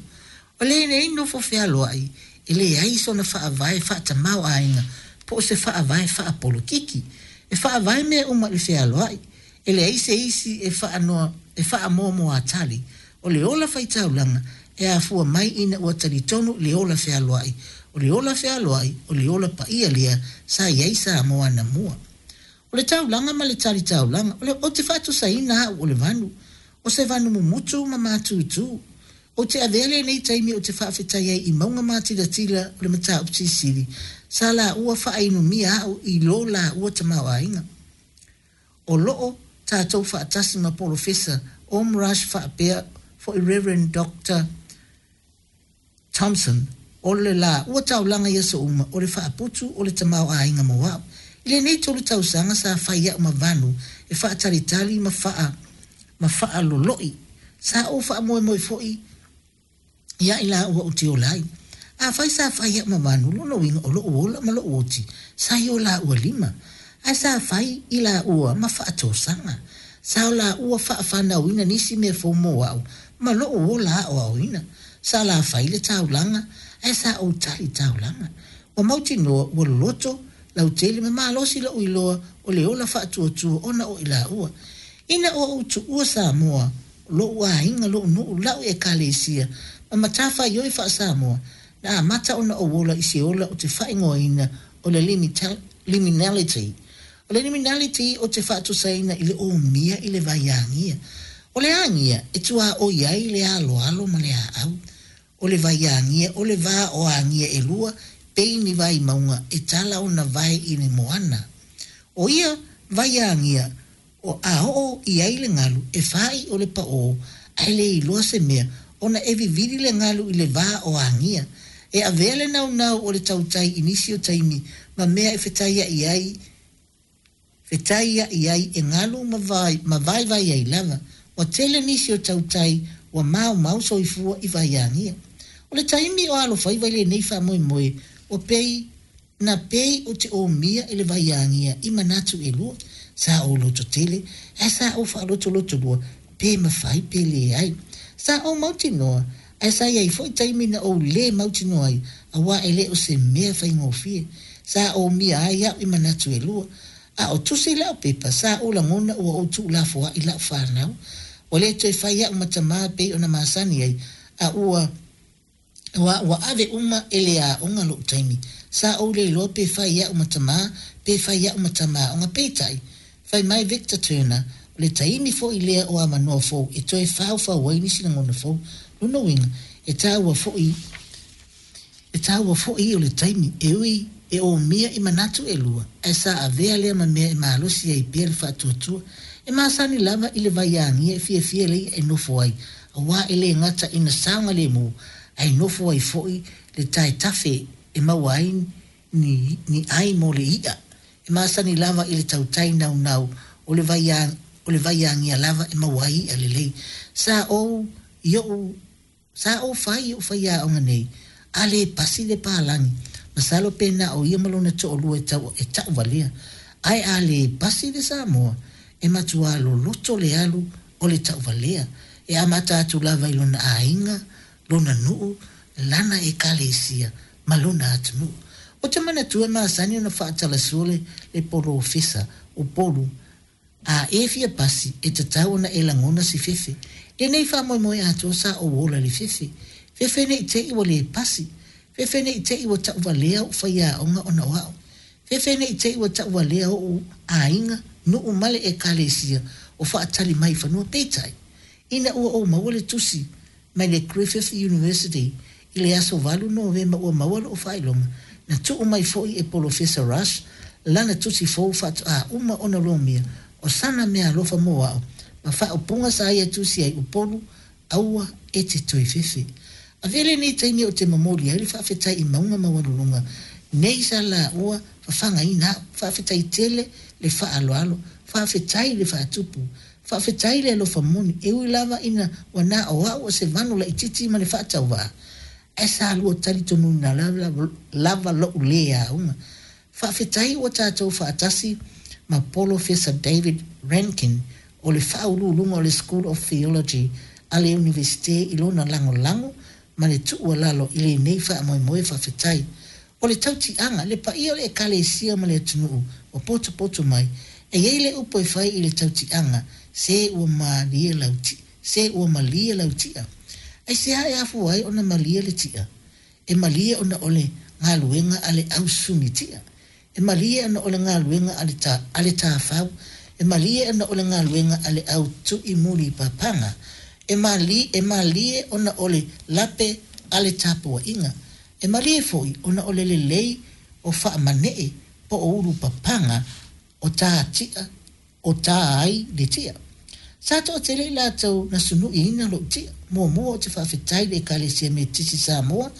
O lenei nofo fealoai e leai sona faavae faatamaoaiga po o se faavae faapolokiki. E faavae mea uma i le fealoai, E leai se isi e faanoa e faamoamoatali, o le ola faitaulaga e afua mai ina ua talitonu i le ola fealoai, o le ola fealoai o le ola paia lea sa i ai Samoa anamua. O le taulaga ma le tali taulaga, o le ou te faatusaina au o le vanu, o se vanu mumutu ma matutu. Ou te avea lenei taimi ou te faafetai ai i mauga matilatila o le mataupu silisili sa laua faainumia au i lo laua tamaoaiga. O loo tatou faatasi ma Polofesa Om Raj faapea foi Rev. Doctor Thompson o le laua taulaga i aso uma o le faaputu o le tamaoaiga mo au. I lenei tolu tausaga sa fai au ma vanu e faatalitali ma faa ma faaloloi. Sa ou faamoemoe foi ia i laua ou te ola ai. Afai sa fai au ma vanu, lona uiga o lou ola ma lou oti sa i o laua lima, ae sa fai i laua ma faatosaga. Sa o laua faafanauina nisi mea fou mo au ma lou ola aoaoina. Sa la fai le taulaga, ae sa ou tali taulaga. Ua mautinoa ua loloto lautele ma malosi lou iloa o le ola faatuatua ona o i laua. Ina ua ou tuua Samoa, lou aiga, lou nuu, lau Ekalesia, ma matafaioi faa-Samoa, na amata ona ou ola i se ola ou te faaigoaina o le liminality. O le liminality ou te faatusaina i le omia i le vai agia. O le agia e tuaoi ai le aloalo ma le aau. O le vai agia, o le va o agia e lua, pei ni vai mauga e tala ona vae i le moana. O ia vai agia, O a oo i ai le galu, e fāiʻo le paʻō, ae le iloa se mea, ona e vivili le galu i le va o agia. E avea le naunau o le tautai i nisi o taimi ma mea e fetaiaʻi ai, fetaiaʻi ai e galu ma, ma vaivai ai lava. Ua tele nisi o tautai ua maumau soifua i vai agia. O le taimi o alofaiva i lenei faamoemoe, ua pei Na pei ou te omia i le vai agia i manatu e lua, sa ou loto tele, ae sa ou faalotoloto lua, pe mafai pe leai. Sa ou mautinoa, ae sa i ai foi taimi na ou lē mautinoa ai, auā e le o se mea faigofie. Sa omia ai au i manatu e lua. A o tusi lau pepa, sa ou lagona ua ou tuulafoaʻi lau fanau. Ua le toe fai au ma tamā pei ona masani ai, a ua. Auā ua ave uma e le aoga loʻu taimi. Sa ou le iloa pe fai au ma tamā, pe fai au ma tama aoga. Peitai, fai mai Victor Turner, o le taimi foʻi lea o avanoa fou e toe faufau ai nisi lagona fou. Lona uiga, e taua foʻi, e taua foʻi o le taimi, e ui e omia i manatu e lua, ae sa avea lea ma mea e malosi ai pea le faatuatua. E masani lava i le vai agia e fiafia le iʻa e nofo ai, auā e lē gata ina saogalēmū, ae nofo ai foʻi le taetafe e maua ai ni ni ʻai mo le iʻa. E masani lava i le tautai naunau o le vai o le vai agia lava e maua ai iʻa lelei. Sa ou i oʻu Sa ou fai i oʻu faiaoga nei, a lē pasi le palagi, masalo pe na o ia ma lona toʻalua e tau e taʻuvalea. Ae a lē pasi le Samoa, e matuā loloto le alu o le taʻuvalea, e amata atu lava i lona aiga, lona nuu, lana ekalesia, ma lona atunuu. Ou te manatua e masani ona faatalasua le le polofesa o Polu A e fia pasi, e tatau ona e lagona se fefe. Lenei faamoemoe atoa sa ou ola i le fefe. Fefe ne i te i ua le pasi. Fefe ne i te i ua tauvalea o'u faiaoga ona o a'u. Fefe ne i te i ua tauvalea o'u aiga, nuu ma le Ekalesia o faatali mai i fanua. Peitai, ina ua ou maua le tusi mai le Griffith University i le aso 8 Novema ua maua lo'u faailoga, na tuu mai foi e Polofesa Rush lana tusi fou faatoā uma ona lomia o sana meaalofa mo a'u ma faaupuga sa ia tusi ai, Upolu, aua e te toe fefe. Avea lenei taimi ou te momoli ai le faafetai i mauga maualuluga nei sa laua fafagaina a'u. Faafetai tele le faaaloalo, faafetai le faatupu, faafetai le alofa moni, e ui lava ina ua na o a'u o se vanu laitiiti ma le faatauvaa, ae sa lua talitonuina lava lo'u lē auga. Faafetai ua tatou faatasi ma Polofesa David Rankin o le faauluuluga o le School of Theology a le Iunivesite i lona lagolago ma le tuualalo i lenei faamoemoe faafetai. O le tautiaga, le paia o le Ekalesia ma le atunuu ua potopoto mai, e i ai le upu e fai i le tautiaga, se ua malie lau se ua malie lau ti'a. Aisea e afua ai ona malie le ti'a? E malie ona o le galuega a le au suni ti'a. E malie ona o le galuega a le a le tāfau. E malie ona o le galuega a le au tu'i muli papaga. E malie, e malie ona o le lape a le tapua'iga. E malie foi ona o le lelei o faamanee po o ulu papaga o tā ti'a o tā ai le ti'a. Sa toatele i latou na sunu'iina lo'u ti'a. Muamua ou te faafetai i le Ekalesia Metotisi Samoa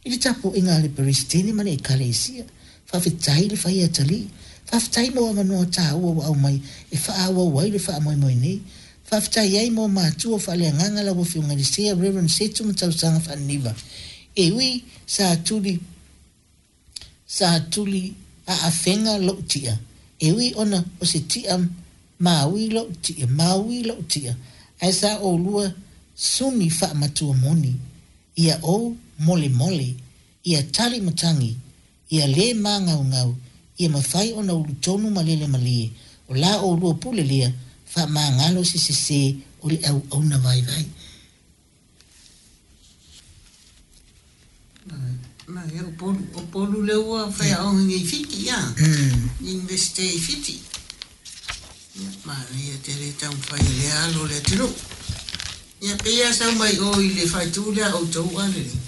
i le tapua'iga a le Peresetene ma le Ekalesia. Faafetai le fai atalii. Faafetai mo avanoa tāua ua aumai e faaauau ai le faamoemoe nei. Faafetai ai mo matua faaleagaga lau Afioga i le Sea Reverend Setu ma Tausaga Faaniniva. E ui sa tuli Sa tuli aafega lo'u ti'a, e ui ona o se ti'a maui lo'u ti'a, maui lo'u ti'a, ae sa oulua suni faamatua moni, ia ou molemole, ia tali matagi, ia lē magaugau, ia mafai ona ulu tonu ma lele malie, o la oulua pule lea, faamagalo se sesē o le auauna vaivai. Ia, Upolu, Upolu lea ua faiaoga nei i Fiti, ia. Universite i Fiti. Ia, manaia tele taumafai o lea alo o le atunuu. Ia, pei lava sau mai o i le faaitu lea a outou a lelei.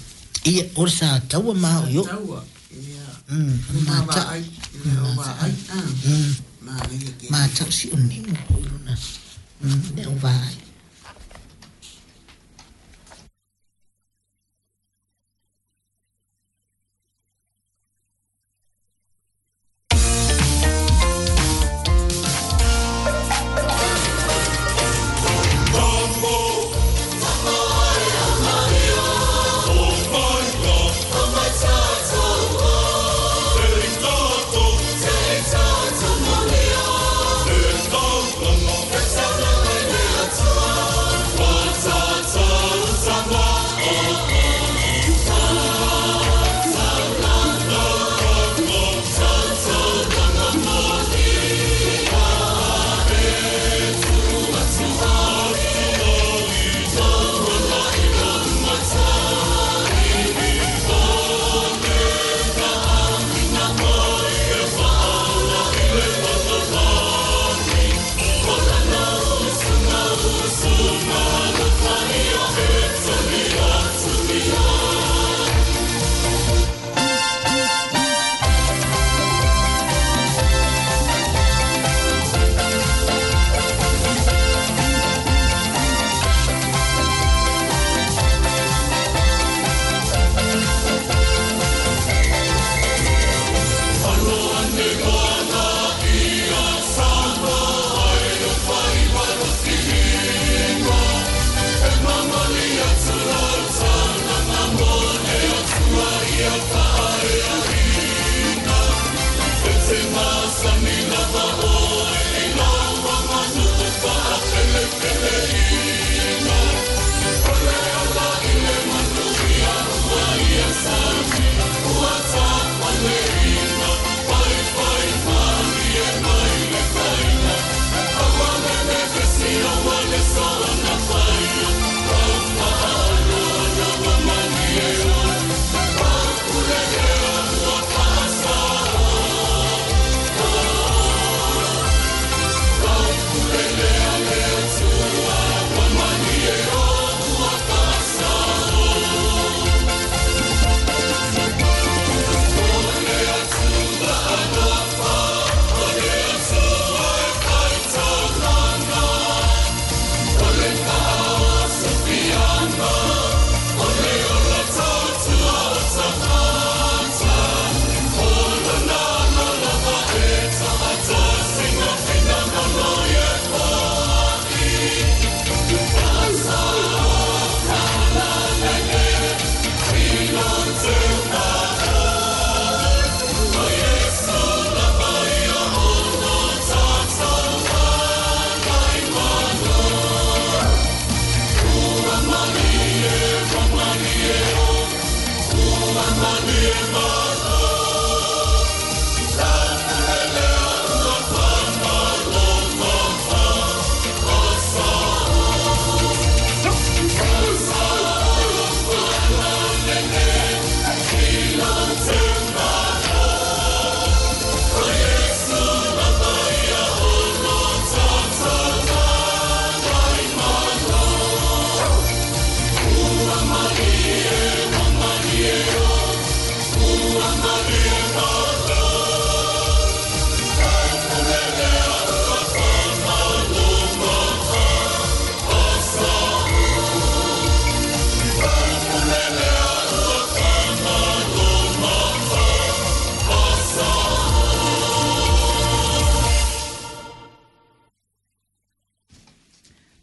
Ia, o le sa taua ma o i o'u. Sa taua, ia. O ma vaai, o vaai, a. Manaia tele. Mata'u si'oni'o foi lona, le au vaai.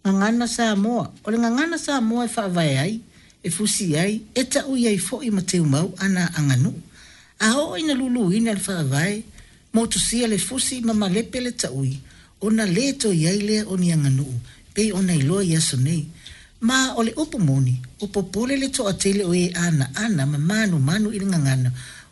Gagana Samoa, O le gagana Samoa e faavae ai, e fusi ai, e taui ai foi ma teumau ana aganuu. A oo ina luluina le faavae, motusia le fusi ma malepe le taui, ona lē toe i ai lea o ni aganuu pei ona iloa i aso nei. Ma o le upu moni, ua popole le toatele o e anaana ma manumanu i le gagana,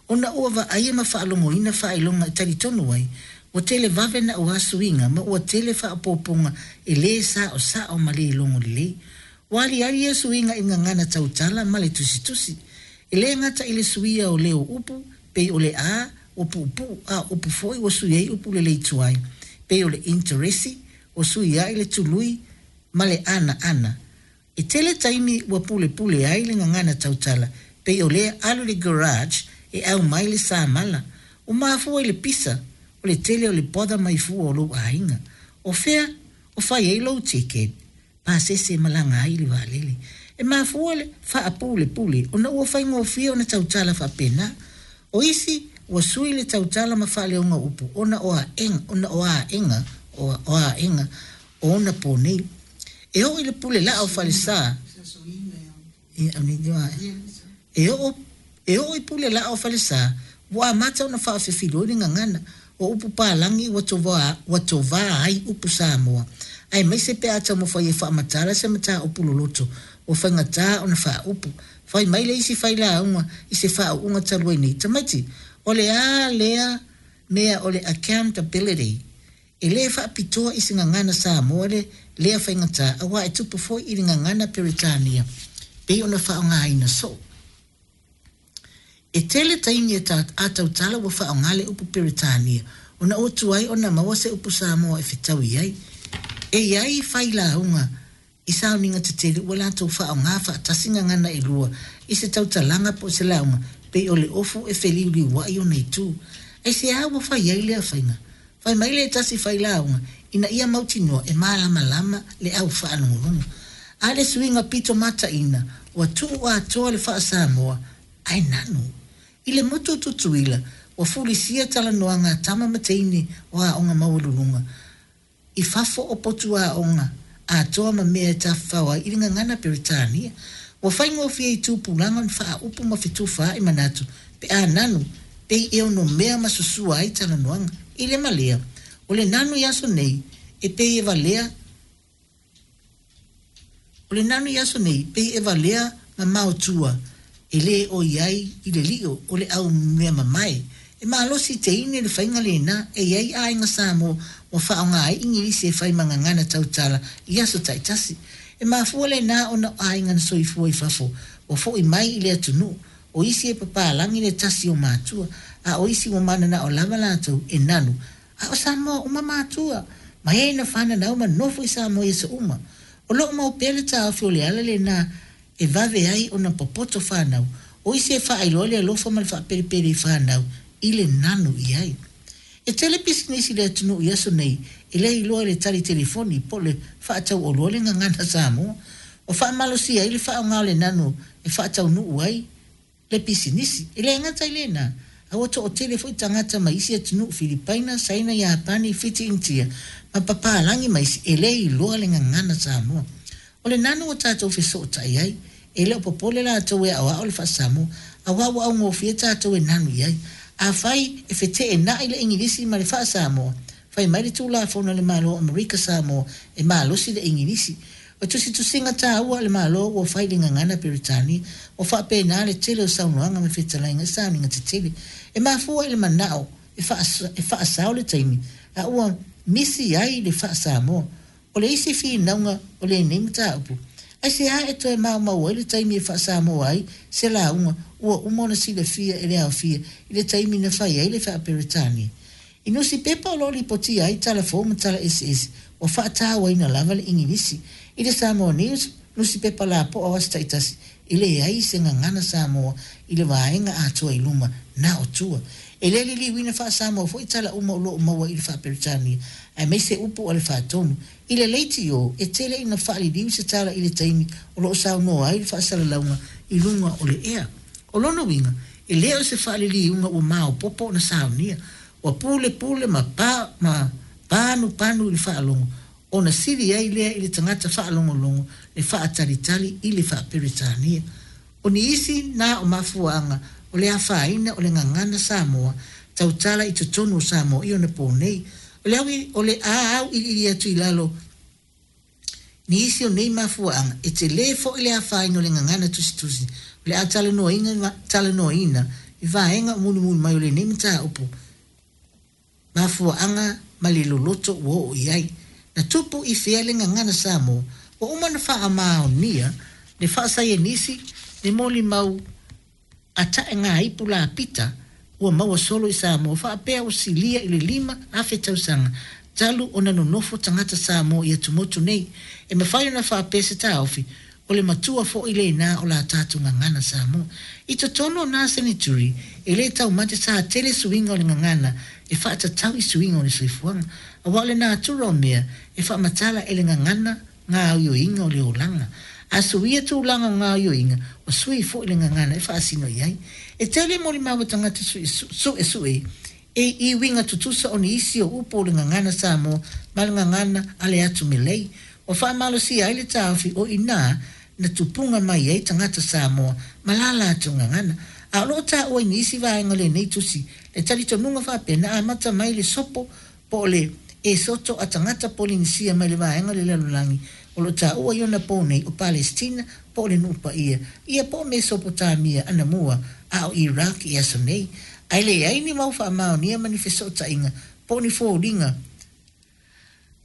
ona ua vaaia ma faalogoina faailoga e talitonu ai, ua tele vave naua suiga ma ua tele faaopoopoga e lē saosao ma lē logo lelei. Ua aliali ia suiga i le gagana tautala ma le tusitusi. E lē gata i le suia o leo o upu, pei o le a ua puupuu a o upu foi ua sui ai upu lelei tuai, pei o le interesi, ua sui ai le tului ma le anaana. E tele taimi ua pulepule ai le gagana tautala, pei o lea alu i le garage e aumai le samala. Ua mafua i le pisa o le tele o le bother mai fua o lou aiga. O fea o fai ai lou ticket? Pasese e malaga ai i le vaalele. E mafua le faapulepule ona ua faigofie ona tautala faapena. O isi ua sui le tautala ma faaleoga o upu ona o aega ona o aega o aega o ona po nei. E oo i le pule laa o falesa, e oo e oo i pule laa o falesa, ua amata ona faafefiloi le gagana. O upu palagi ua tovā ua tovā ai upu Samoa, aemaise pe a taumafai e faamatala se mataupu loloto ua faigata ona faaupu. Fai mai le isi failauga i se faauuga talu ai nei, Tamaiti, o le a lea mea o le accountability? E lē faapitoa i se gagana Samoa le lea faigata auā e tupu foi i le gagana Peretania pei ona faaaogaina soo. E tele taimi e ta a tautala ua faaaoga le upu Peretania ona ua tuai ona maua se upu Samoa e fetaui ai. E i ai failauga i sauniga tetele ua latou faaaoga faatasi gagana e lua i se tautalaga po o se lauga pei o le ofu e feliuliuai ona itu. Aisea ua fai ai lea faiga? Fai mai le tasi failauga ina ia mautinoa e malamalama le au faalogologo. A le suiga pito mataina ua tuu atoa le faa-Samoa ae nanu. I le motu o Tutuila ua fulisia talanoaga a tama ma teine o aoga maualuluga i fafo o potu aoga atoa ma mea e tafafao ai i le gagana Peretania. Ua faigofie i tupulaga ona faaupu ma fetufaai manatu pe a nanu, pei e onomea ma susua ai talanoaga. I le ma lea, o le nanu i aso nei e pei e valea O le nanu i aso nei, pei e valea mamao tua, e lē oi ai i le lio o le au mea mamae. E malosi teine le faiga lena e i ai aiga Samoa ua faaaoga ai Igilisi e fai ma gagana tautala i aso taitasi. E mafua lena ona o aiga na soifua i fafo ua foʻi mai i le atunuu. O isi e papalagi le tasi o matua, a o isi ua mananao lava latou e nanu A o Samoa uma matua, ma e na fananau ma nofo i Samoa i aso uma. O loo mau pea le taofi o le ala lena e vave ai ona popoto fanau, o isi e faailoa le alofa ma le faapelepele i fanau i le nanu i ai. E tele pisinisi i le atunuu i aso nei e le iloa i le tali telefoni po o le faatauoloa le gagana Samoa. Ua faamalosia ai le faaaoga o le nanu e faataunuu ai le pisinisi. E le gata i lena, a ua toatele foi tagata mai isi atunuu, Filipaina, Saina, Iapani, Fiti, Initia, ma papalagi ma isi, e le iloa le gagana Samoa. O le nanu ua tatou fesootai ai, e le o popole latou e aoao le faa-Samoa, auā ua augofie tatou e nanu i ai. Afai e feteenai le Igilisi ma le faa-Samoa, fai mai le Tulafono a le Malo o Amerika Samoa e malosi le Igilisi. O tusitusiga taua a le Malo ua fai i le gagana Peretania, ua faapena le tele o saunoaga ma fetalaiga i sauniga tetele. E mafua i le manao e faasao le taimi a ua misi ai le faa-Samoa. O le isi finauga o lenei mataupu, aisea e toe maumau ai le taimi e faa-Samoa ai se lauga ua uma ona silafia e le aofia i le taimi na fai ai le faa-Peretania? I nusipepa o lo o lipotia ai tala fou ma tala eseese, ua faatauaina lava le Igilisi. I le Samoa News, nusipepa lapoa o aso taitasi, e leai se gagana Samoa i le vaega atoa i luma, na o tua. E le liliuina faa-Samoa foi tala uma o lo o maua i le faa-Peretania, aemaise upu a le faatonu. I le leitio, e tele ina faaliliu se tala i le taimi o lo o saunoa ai le faasalalauga i luga o le ea. O lona uiga, e le o se faaliliuga ua maopoopo ona saunia. Ua pulepule ma pa ma panupanu i le faalogo. ona sili ai lea i le tagata faalogologo le faatalitali i le faa-Peretania. O nisi na o mafuaaga o le afaina o le gagana Samoa tautala i totonu o Samoa i ona pō nei. O le au, o le a auiliili atu i lalo nisi o nei mafuaaga, e telē foi le afaina o le gagana tusitusi o le a talanoaina, talanoaina i vaega o mulimuli mai o lenei mataupu. Mafuaaga ma le loloto ua oo i ai. Na tupu i fea le gagana Samoa? Ua uma ona faamaonia le faasaienisi le molimau a taegaipu lapita ua maua solo i Samoa faapea ua silia i le 5,000 tausaga talu ona nonofo tagata Samoa i atumotu nei. E mafai ona faapea se taofi, o le matua foi lena o la tatou gagana Samoa. I totonu o na senituri, e lē taumate sa tele suiga o le gagana e faatatau i suiga o le soifuaga. Auā o le natura o mea, e faamatala e le gagana gaoioiga o le olaga. A suia tulaga o gaoioiga, ua sui foi le gagana e faasino i ai. E tele molimau a tagata suesue e i uiga tutusa o nisi o upu o le gagana Samoa ma le gagana a le atu Melei, ua faamalosia ai le taofi o i ina na tupuga mai ai tagata Samoa ma la latou gagana. A o lo o taua i nisi vaega o lenei tusi le talitonuga faapea na amata mai le sopo po o le esoto a tagata Polinisia mai le vaega o le lalolagi o lo o taua i ona pō nei o Palesitina po o le Nuu Paia ia po o Mesopotamia anamua a o Iraq i aso nei. Ae leai ni mau faamaonia ma ni fesootaiga po o ni foliga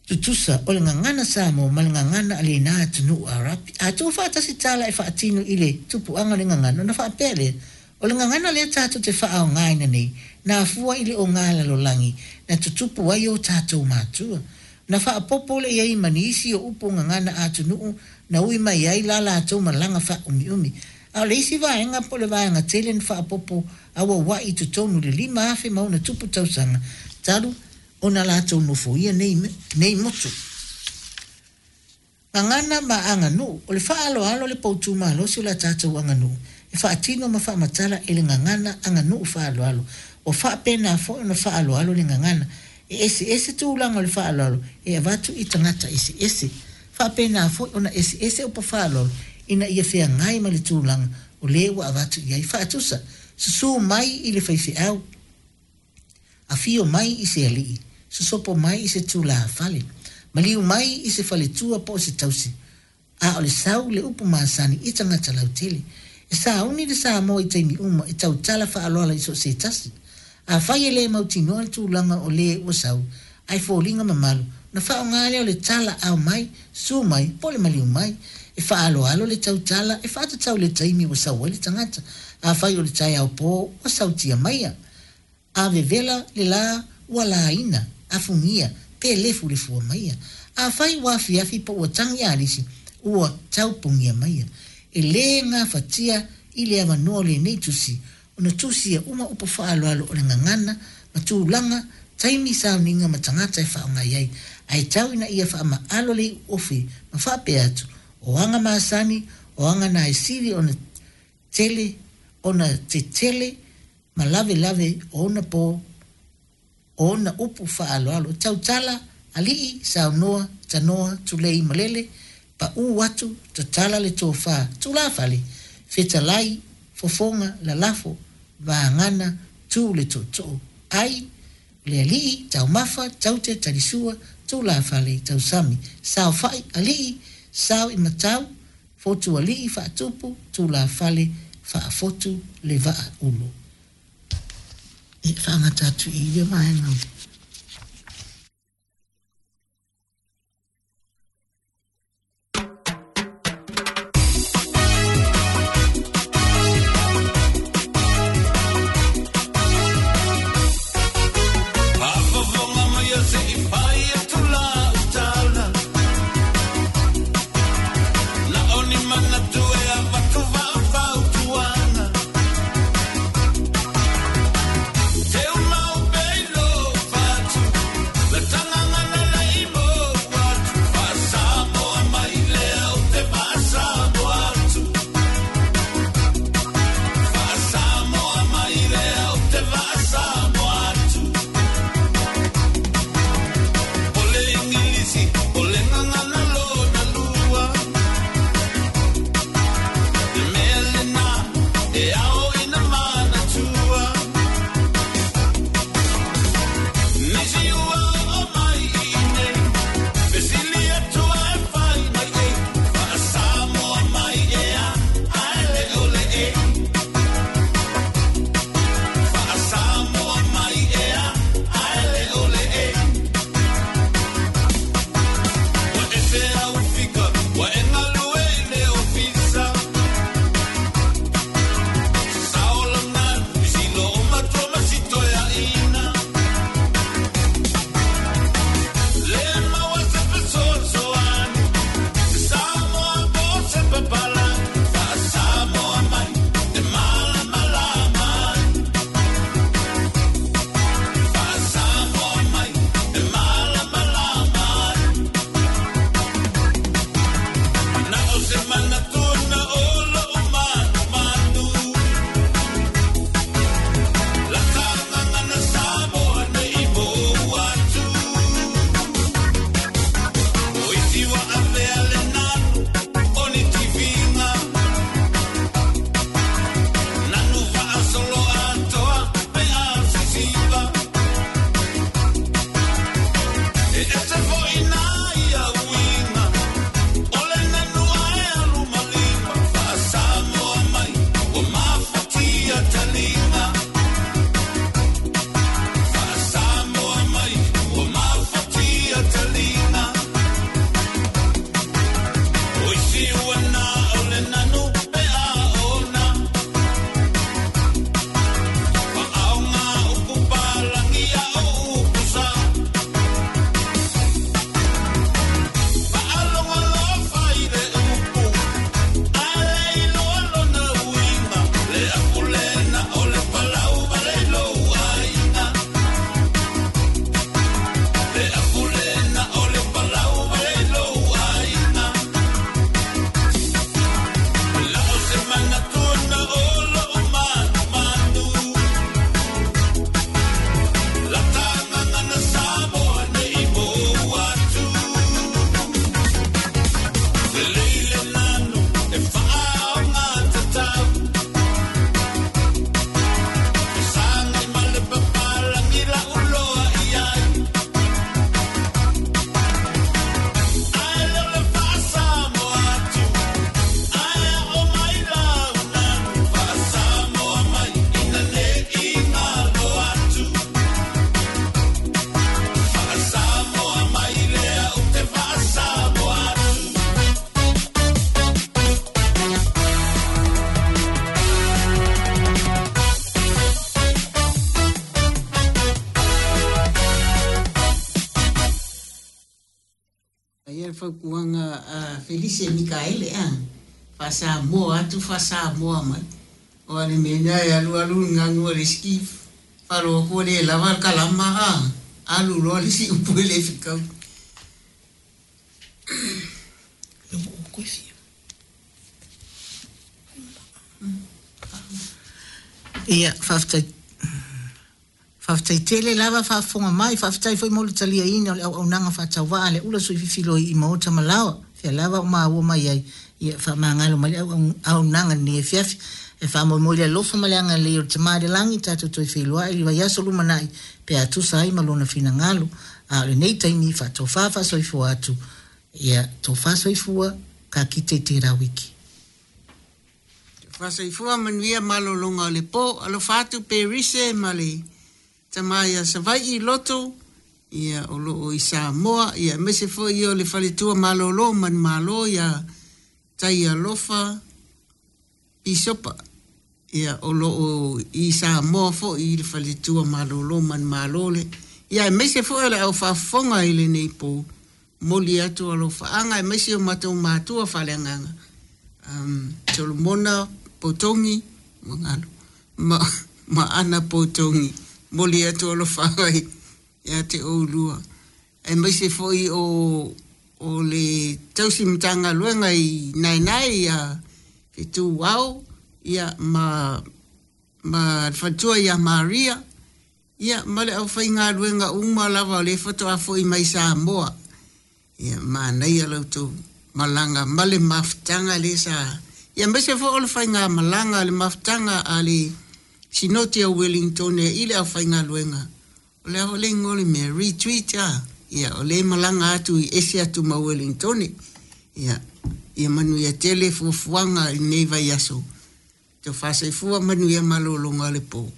tutusa o le gagana Samoa ma le gagana a lena atunuu Arapi. A tuufaatasi tala e faatino i le tupuaga o le gagana, ona faapea lea, o le gagana lea tatou te faaaogaina nei, na afua i le ogā lalolagi na tutupu ai o tatou matua. Na faaopoopo lea i ai ma nisi o upu o gagana a atunuu na ui mai ai la latou malaga faaumiumi. A o le isi vaega po o le vaega tele na faaopoopo auauai i totonu i le 5,000 ma ona tupu tausaga talu ona latou nofoia nei, nei motu. Gagana ma aganuu. O le faaaloalo le poutu malosi o la tatou aganuu e faatino ma faamatala e le gagana aganuu faaaloalo. Ua faapena foi ona faaaloalo le gagana. E eseese tulaga o le faaaloalo e avatu i tagata eseese. Faapena foi ona eseese upu faaaloalo ina ia feagai ma le tulaga o le ua avatu i ai. Faatusa, susu mai i le faifeau, afio mai i se alii, sosopo mai i se tulafale, maliu mai i se faletua po o se tausi, a o le sau le upu masani i tagata lautele. E sauni le Samoa i taimi uma e tautala faaaloalo i so o se tasi. Afai e le mautinoa le tulaga o le ua sau, ae foliga mamalu, ona faaaoga lea o le tala ao mai, susu mai, po o le maliu mai. E faaaloalo le tautala e faatatau i le taimi ua sau ai le tagata. Afai o le taeao po, ua sautia maia. A vevela le lā, ua laina, afugia, pe lefulefua maia. Afai ua afiafi po ua tagi alisi, ua taupogia maia. E lē gafatia i le avanoa o lenei tusi ona tusia uma upu faaaloalo o le gagana ma tulaga, taimi, sauniga ma tagata e faaaoga i ai, ae tau ina ia faamaalo le iuofe ma faapea atu, o aga masani, o aga na e sili ona tele ona tetele ma lavelave o ona pō, o ona upu faaaloalo, tautala, alii, saunoa, tanoa, tulei malele, paū atu, tatala le tofa, tulafale, fetalai, fofoga, lalafo, vagana, tu le tootoo, ai, le alii, taumafa, taute, talisua, tulafale, tausami, saofai, alii, sao i matau, fotu alii, faatupu, tulafale, faafotu le vaa ulu. E faagata atu i ia vaega. Faafofoga mai se i fai atu lau tala. Na o ni manatu e avatu faafautuaga. Teumau pea i lou. fautuaga a Felise Mikaele a, faa-Samoa atu faa-Samoa mai. Aua o le mea lena e alu alu le ganu a le isi faalogo atu ua le lava le kalama a, alu loa le isi upu e le fetaui. Ia, faafetai. Faafetai tele lava faafofoga mai, faafetai foi mo le taliaina o le auaunaga faatauvaa a le ula sui fifiloi i maota ma laoa, fea lava o maua mai ai, ia faamagalo mai le auaunaga i lenei afiafi. E faamoemoe i le alofa ma le agalelei o le Tama i le Lagi tatou toe feiloai i le vaiaso lumanai pe a tusa ai ma Lona finagalo. A o lenei taimi, faatofa faasoifua atu, ia tofa soifua, ka kite i tērā wiki. Tofa soifua manuia malologa o le po. Alofa atu Perise ma le tama ia Savai'i Loto, ia o lo o i Samoa, ia aemaise foi o le faletua malolo manumalo ia Taialofa Pisopa, ia o lo o i Samoa foi i le faletua malolo manumalo le, ia aemaise foi o le au faafofoga i lenei po, momoli atu alofaaga aemaise o matou matua faaleagaga, Solomona Potogi, ua galo, ma, ma Ana Potogi, momoli atu alofaaga ia te oulua, aemaise foi o o le tausi Matagaluega i Naenae ia Fetuao ia ma ma le faletua ia Maria ia ma le aufaigaluega uma lava o lea faatoa foi mai Samoa. Ia manaia la outou malaga ma le mafutaga lea sa ia aemaise foi o le faigamalaga le mafutaga a le Sinoti o Wellingtone i le aufaigaluega. O le a foi le igoa o le mea? Retreat a? Ia, o lea e malaga atu i ese atu ma Wellingtone. Ia, ia manuia tele fuafuaga i lenei vaiaso. Tofa soifua manuia malologa o le po.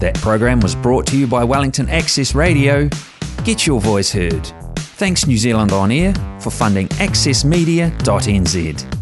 That program was brought to you by Wellington Access Radio. Get your voice heard. Thanks New Zealand On Air for funding accessmedia.nz.